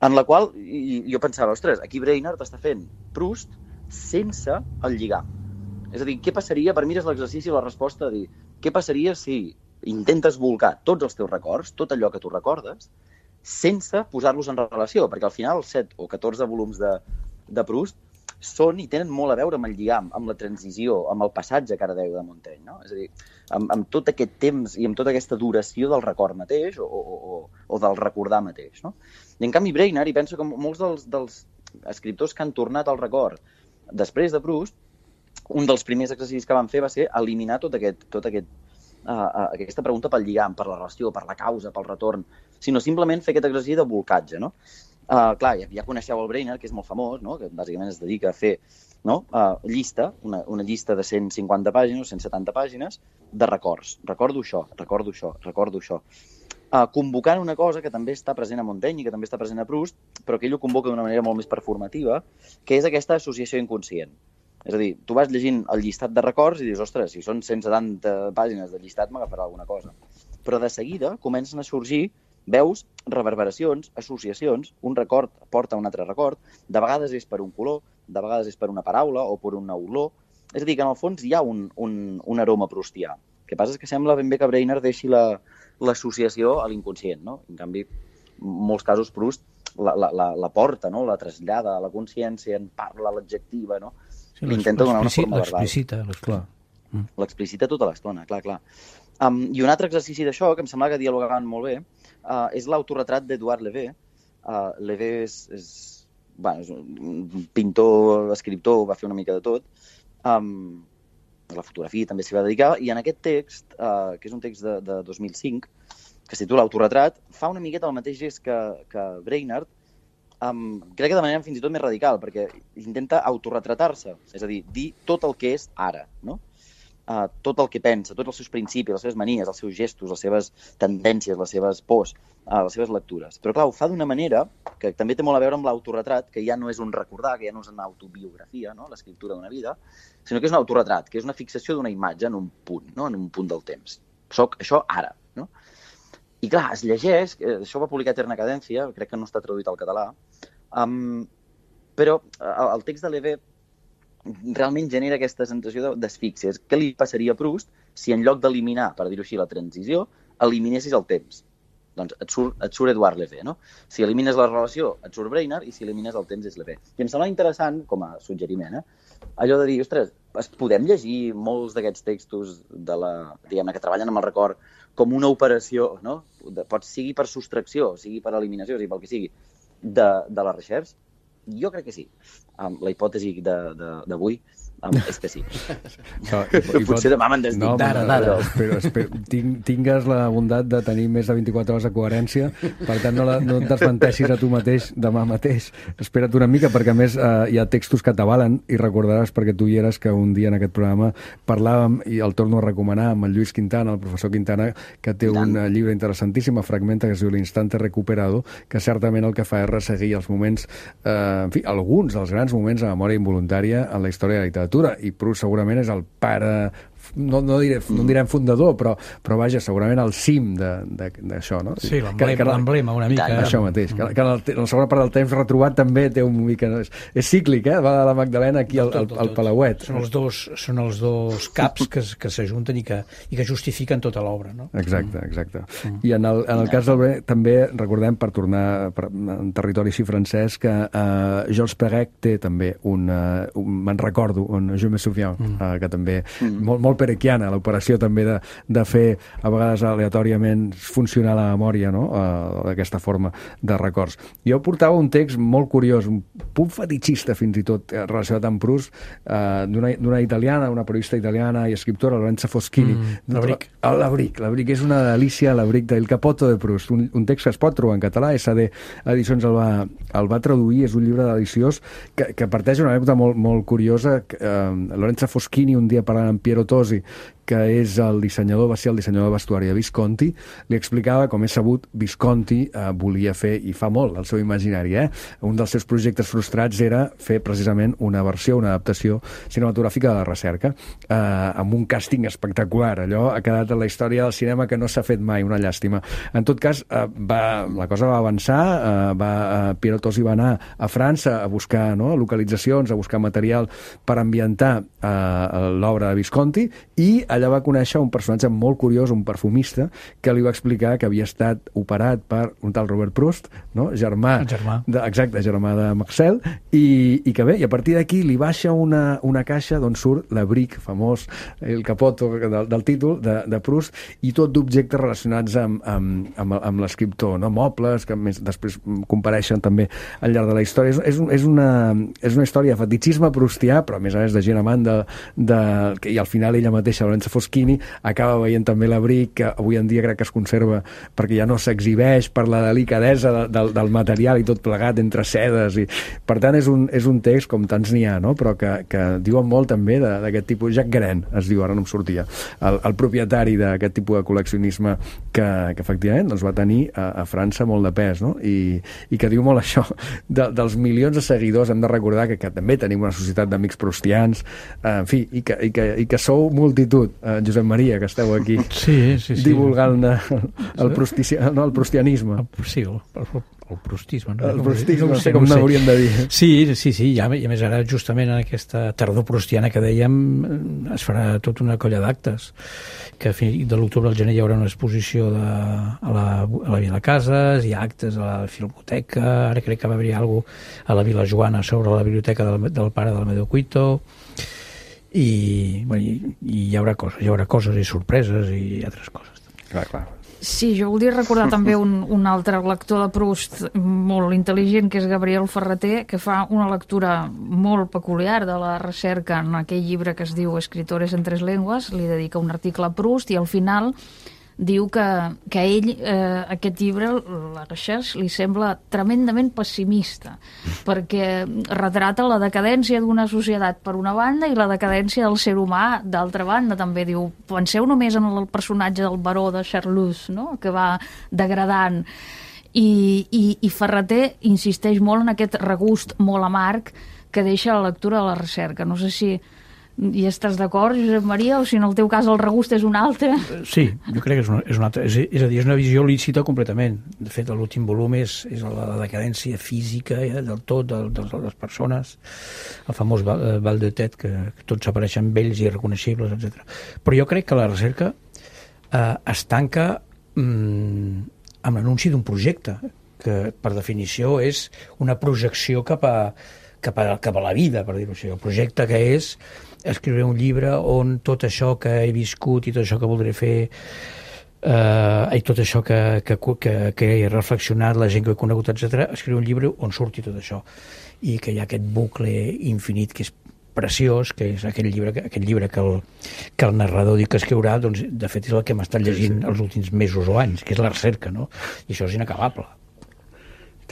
en la qual i, jo pensava, ostres, aquí Brainerd està fent Proust sense el lligam. És a dir, què passaria, per mi és l'exercici i la resposta de dir, què passaria si intentes volcar tots els teus records, tot allò que tu recordes, sense posar-los en relació, perquè al final els set o catorze volums de, de Proust són i tenen molt a veure amb el lligam, amb la transició, amb el passatge que ara deia de Montaigne, no? És a dir, amb, amb tot aquest temps i amb tota aquesta duració del record mateix o, o, o, o del recordar mateix, no? I en canvi Brainerd, i penso que molts dels, dels escriptors que han tornat al record després de Proust, un dels primers exercicis que van fer va ser eliminar tot aquest, tot aquest Uh, aquesta pregunta pel lligam, per la relació, per la causa, pel retorn, sinó simplement fer aquest exercici de volcatge, no? Uh, clar, ja, ja coneixeu el Brainerd, que és molt famós, no? Que bàsicament es dedica a fer, no? uh, llista, una, una llista de cent cinquanta pàgines o cent setanta pàgines de records. Recordo això, recordo això, recordo això. Uh, convocant una cosa que també està present a Montaigne i que també està present a Proust, però que ell ho convoca d'una manera molt més performativa, que és aquesta associació inconscient. És a dir, tu vas llegint el llistat de records i dius, ostres, si són cent setanta pàgines de llistat m'agafarà alguna cosa. Però de seguida comencen a sorgir, veus, reverberacions, associacions, un record porta a un altre record, de vegades és per un color, de vegades és per una paraula o per una olor. És a dir, que en el fons hi ha un, un, un aroma proustià. El que passa és que sembla ben bé que Brainerd deixi l'associació la, a l'inconscient, no? En canvi, en molts casos Proust la, la, la, la porta, no? La trasllada a la consciència, en parla, l'adjectiva, no? Sí, intenta donar una forma verbal. L'explicita, clar. L'explicita tota l'estona, clar, clar. Um, I un altre exercici d'això, que em sembla que dialogaven molt bé, uh, és l'autorretrat d'Edouard Levé. Uh, Levé és, és, bueno, és un pintor, escriptor, va fer una mica de tot. Um, la fotografia també s'hi va dedicar, i en aquest text, uh, que és un text de, de dos mil cinc, que es titula Autorretrat, fa una miqueta el mateix gest que, que Brainerd, Um, crec que de manera fins i tot més radical, perquè intenta autorretratar-se, és a dir, dir tot el que és ara, no? Uh, tot el que pensa, tots els seus principis, les seves manies, els seus gestos, les seves tendències, les seves pors, uh, les seves lectures. Però clar, ho fa d'una manera que també té molt a veure amb l'autorretrat, que ja no és un recordar, que ja no és una autobiografia, no? L'escriptura d'una vida, sinó que és un autorretrat, que és una fixació d'una imatge en un punt, no? En un punt del temps. Soc això ara, no? I clar, es llegeix, això va publicar Eterna Cadència, crec que no està traduït al català, um, però el text de Levé realment genera aquesta sensació d'asfíxia. Què li passaria a Proust si en lloc d'eliminar, per dir-ho així, la transició, eliminessis el temps? Doncs et surt, et surt Edouard Levé, no? Si elimines la relació, et surt Brainerd, i si elimines el temps és Levé. I em sembla interessant, com a suggeriment, eh? allò de dir, ostres, es podem llegir molts d'aquests textos de la, diguem-ne, que treballen amb el record com una operació, no? Pot sigui per sostracció, sigui per eliminació, sigui pel que sigui, de, de la Recherche? Jo crec que sí. Um, la hipòtesi d'avui um, és que sí. No, i, i potser pot... demà me'n desdic. No, d'ara, d'ara. Espero, espero, tinc, tingues la bondat de tenir més de vint-i-quatre hores de coherència, per tant no, la, no et desmenteixis a tu mateix demà mateix. Espera't una mica, perquè a més eh, hi ha textos que t'avalen, i recordaràs, perquè tu hi eres, que un dia en aquest programa parlàvem, i el torno a recomanar, amb el Lluís Quintana, el professor Quintana, que té un llibre interessantíssim a Fragmenta, que es diu L'instante recuperado, que certament el que fa és resseguir els moments, eh, en fi, alguns dels grans moments de memòria involuntària en la història de la literatura, i Proust segurament és el pare, no, no, diré, no en direm fundador, però, però vaja, segurament al cim d'això, no? Sí, l'emblema una mica. Això mateix, que, que en, el, en la segona part del temps retrobat també té un mica... És, és cíclic, eh? Va de la Magdalena aquí al, al, al Palauet. Són els dos, són els dos caps que, que s'ajunten i, que, i que justifiquen tota l'obra, no? Exacte, exacte. Mm. I en el, en el cas del Bre, també recordem, per tornar per, en territori així francès, que uh, Georges Perec té també un, uh, un me'n recordo, un Je me souviens, mm. uh, que també mm. molt, molt perequiana, l'operació també de, de fer, a vegades aleatòriament, funcionar la memòria, no? Uh, d'aquesta forma de records. Jo portava un text molt curiós, un punt fetichista fins i tot, relacionat amb Proust, uh, d'una italiana, una periodista italiana i escriptora, Lorenza Foschini. Mm, L'Abric. L'Abric. L'Abric és una delícia, l'Abric del Capoto de Proust, un, un text que es pot trobar en català, S D Edicions el va, el va traduir, és un llibre deliciós que, que parteix una anècdota molt, molt curiosa. Uh, Lorenza Foschini, un dia parlant amb Piero Tosi, que és el dissenyador, va ser el dissenyador de vestuari de Visconti, li explicava, com és sabut, Visconti eh, volia fer, i fa molt, el seu imaginari, eh? Un dels seus projectes frustrats era fer precisament una versió, una adaptació cinematogràfica de La Recerca, eh, amb un càsting espectacular. Allò ha quedat en la història del cinema que no s'ha fet mai, una llàstima. En tot cas, eh, va, la cosa va avançar, eh, va, eh, Piero Tosi va anar a França a buscar, no?, localitzacions, a buscar material per ambientar eh, l'obra de Visconti, i allà va conèixer un personatge molt curiós, un perfumista, que li va explicar que havia estat operat per un tal Robert Proust, no? germà, germà. De, exacte, germà de Marcel, i, i que bé, i a partir d'aquí li baixa una, una caixa d'on surt l'Abric, famós, el capoto del, del títol, de, de Proust, i tot d'objectes relacionats amb, amb, amb, amb l'escriptor, no? Mobles, que més després compareixen també al llarg de la història. És, és, és, una, és una història de fetichisme proustià, però a més a més de gent amant de, de, i al final ella mateixa, Lorenza Foschini, acaba veient també l'Abric, que avui en dia crec que es conserva perquè ja no s'exhibeix per la delicadesa de, de, del material i tot plegat entre sedes, i per tant és un, és un text com tants n'hi ha, no? Però que, que diuen molt també d'aquest tipus. Jacques Guérin es diu, ara no em sortia, el, el propietari d'aquest tipus de col·leccionisme que, que efectivament doncs, va tenir a, a França molt de pes, no? I, i que diu molt això de, dels milions de seguidors. Hem de recordar que, que també tenim una societat d'amics proustians, eh, en fi, i que, i, que, i que sou multitud, eh, Josep Maria, que esteu aquí sí, sí, sí. divulgant el, el, prustici, no, el prustianisme. El, sí, el, el, el prustisme. No? El prustisme, no sé com no n'hauríem de dir. Sí, sí, sí, i a més ara justament en aquesta tardor prustiana que dèiem es farà tota una colla d'actes, que de l'octubre al gener hi haurà una exposició de, a, la, a la Vila Cases, hi ha actes a la Filmoteca, ara crec que va haver-hi alguna cosa a la Vila Joana sobre la biblioteca del, del pare del Medio Cuito, i, bueno, i, i hi haurà coses, hi haurà coses i sorpreses i altres coses. Clar, clar. Sí, jo voldria recordar també un, un altre lector de Proust molt intel·ligent, que és Gabriel Ferrater, que fa una lectura molt peculiar de La Recerca en aquell llibre que es diu Escritores en tres llengües, li dedica un article a Proust i al final diu que, que a ell eh, aquest llibre, La Recherche, li sembla tremendament pessimista, perquè retrata la decadència d'una societat per una banda i la decadència del ser humà d'altra banda. També diu, penseu només en el personatge del baró de Charlus, no?, que va degradant, i, i, i Ferrater insisteix molt en aquest regust molt amarg que deixa la lectura de La Recerca. No sé si i estàs d'acord, Josep Maria, o si en el teu cas el regust és un altre? Sí, jo crec que és una, és una altra. És, és a dir, és una visió lícita completament. De fet, l'últim volum és, és la, la decadència física eh, del tot, de, de, de les persones, el famós Val, Val de Tet, que, que tots apareixen vells i irreconeixibles, etcètera. Però jo crec que La Recerca eh, es tanca mm, amb l'anunci d'un projecte, que per definició és una projecció cap a cap a, cap a la vida, per dir-ho així. El projecte que és escriure un llibre on tot això que he viscut i tot això que voldré fer eh, i tot això que, que, que, que he reflexionat, la gent que he conegut, etcètera, escriure un llibre on surti tot això i que hi ha aquest bucle infinit que és preciós, que és aquell llibre, aquest llibre que el, que el narrador diu que escriurà, doncs de fet és el que hem estat llegint els últims mesos o anys, que és la recerca, no? I això és inacabable.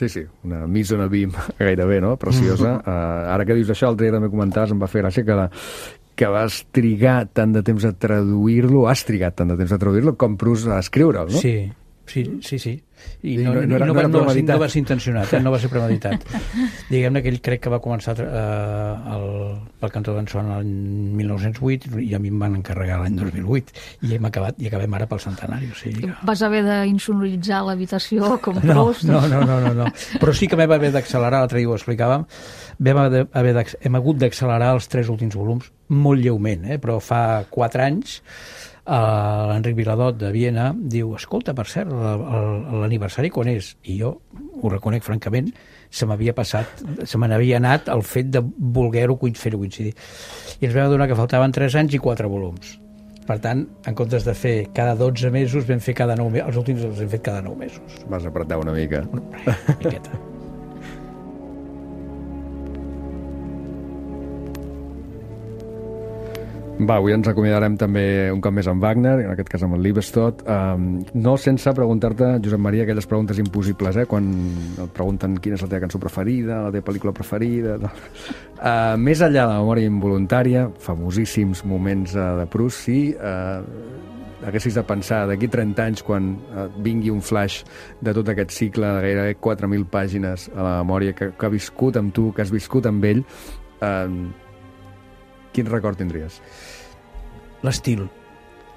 Sí, sí, una mise en abim gairebé, no? Preciosa. Mm. Uh, ara que dius això, l'altre dia també comentaves, em va fer gràcia que, la, que vas trigar tant de temps a traduir-lo, has trigat tant de temps a traduir-lo com Proust a escriure'l, no? Sí, sí, sí, sí. I no, no, no, era, no, va, no, va, no va ser intencionat, eh? No va ser premeditat. Diguem-ne que ell crec que va començar eh, el, el Cantó d'en Son l'any mil nou-cents vuit i a mi em van encarregar l'any dos mil vuit i hem acabat, i acabem ara pel centenari. O sigui que... Vas haver d'insonoritzar l'habitació com no, Proust? No, no, no, no, no. Però sí que vam haver d'accelerar, l'altre dia ho explicàvem, vam haver, haver hem hagut d'accelerar els tres últims volums molt lleument, eh? Però fa quatre anys Uh, l'Enric Viladot de Viena diu, escolta, per cert, l'aniversari quan és? I jo ho reconec francament, se m'havia passat, se me n'havia anat el fet de voler-ho fer-ho coincidir. I ens vam adonar que faltaven tres anys i quatre volums. Per tant, en comptes de fer cada dotze mesos, vam fer cada nou mesos. Els últims els hem fet cada nou mesos. Vas apretar una mica. Una miqueta. Va, avui ens acomiadarem també un cop més amb Wagner, en aquest cas amb el Liebestod. Um, no sense preguntar-te, Josep Maria, aquelles preguntes impossibles, eh? Quan et pregunten quina és la teva cançó preferida, la teva pel·lícula preferida... Uh, més enllà de la memòria involuntària, famosíssims moments uh, de Proust, si uh, haguessis de pensar d'aquí trenta anys, quan uh, vingui un flash de tot aquest cicle de gairebé quatre mil pàgines a la memòria que, que ha viscut amb tu, que has viscut amb ell, uh, quin record tindries? L'estil.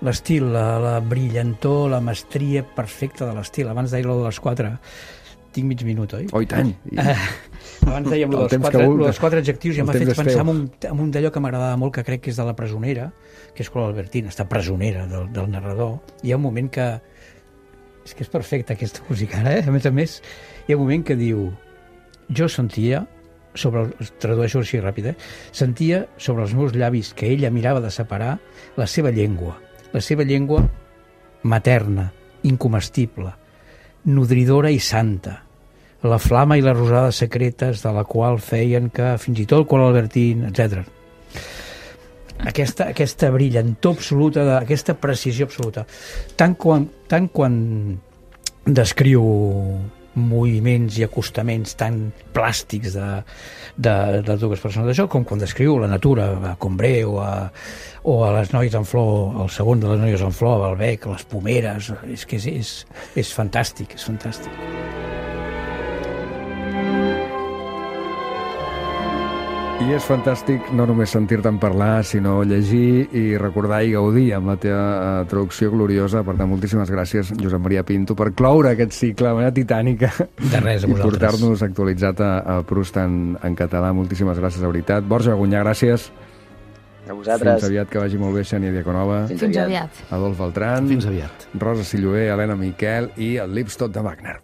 L'estil, la, la brillantor, la mestria perfecta de l'estil. Abans deia lo de les quatre. Tinc mig minut, oi? Oh, i tant! I... Uh, abans dèiem lo dels, quatre, lo dels quatre adjectius i em ha fet pensar en un, en un d'allò que m'agradava molt, que crec que és de La presonera, que és Clola Albertina, està presonera del, del narrador. Hi ha un moment que... És que és perfecta aquesta música, eh? A més a més, hi ha un moment que diu... Jo sentia... sobre el, tradueixo així ràpid, eh? Sentia sobre els meus llavis que ella mirava de separar la seva llengua, la seva llengua materna, incomestible, nodridora i santa, la flama i les rosades secretes de la qual feien que fins i tot Clola Albertina, etcètera. Aquesta, aquesta brillantor absoluta, aquesta precisió absoluta. Tant quan, tant quan descriu moviments i acostaments tan plàstics de, de, de dues persones d'això, com quan descriu la natura a Combré o a, o a les noies en flor, el segon de les noies en flor, a Balbec, les pomeres, és que és, és, és fantàstic, és fantàstic. I és fantàstic no només sentir-te'n parlar, sinó llegir i recordar i gaudir amb la teva uh, traducció gloriosa. Per tant, moltíssimes gràcies, Josep Maria Pinto, per cloure aquest cicle de manera titànica. De res, a vosaltres. I portar-nos actualitzat a, a Proust en, en català. Moltíssimes gràcies, de veritat. Borja Gunyà, gràcies. A vosaltres. Fins aviat, que vagi molt bé, Xènia Diaconova. Fins aviat. Adolf Beltrán. Fins aviat. Rosa Silloé, Helena Miquel i el Liebestod de Wagner.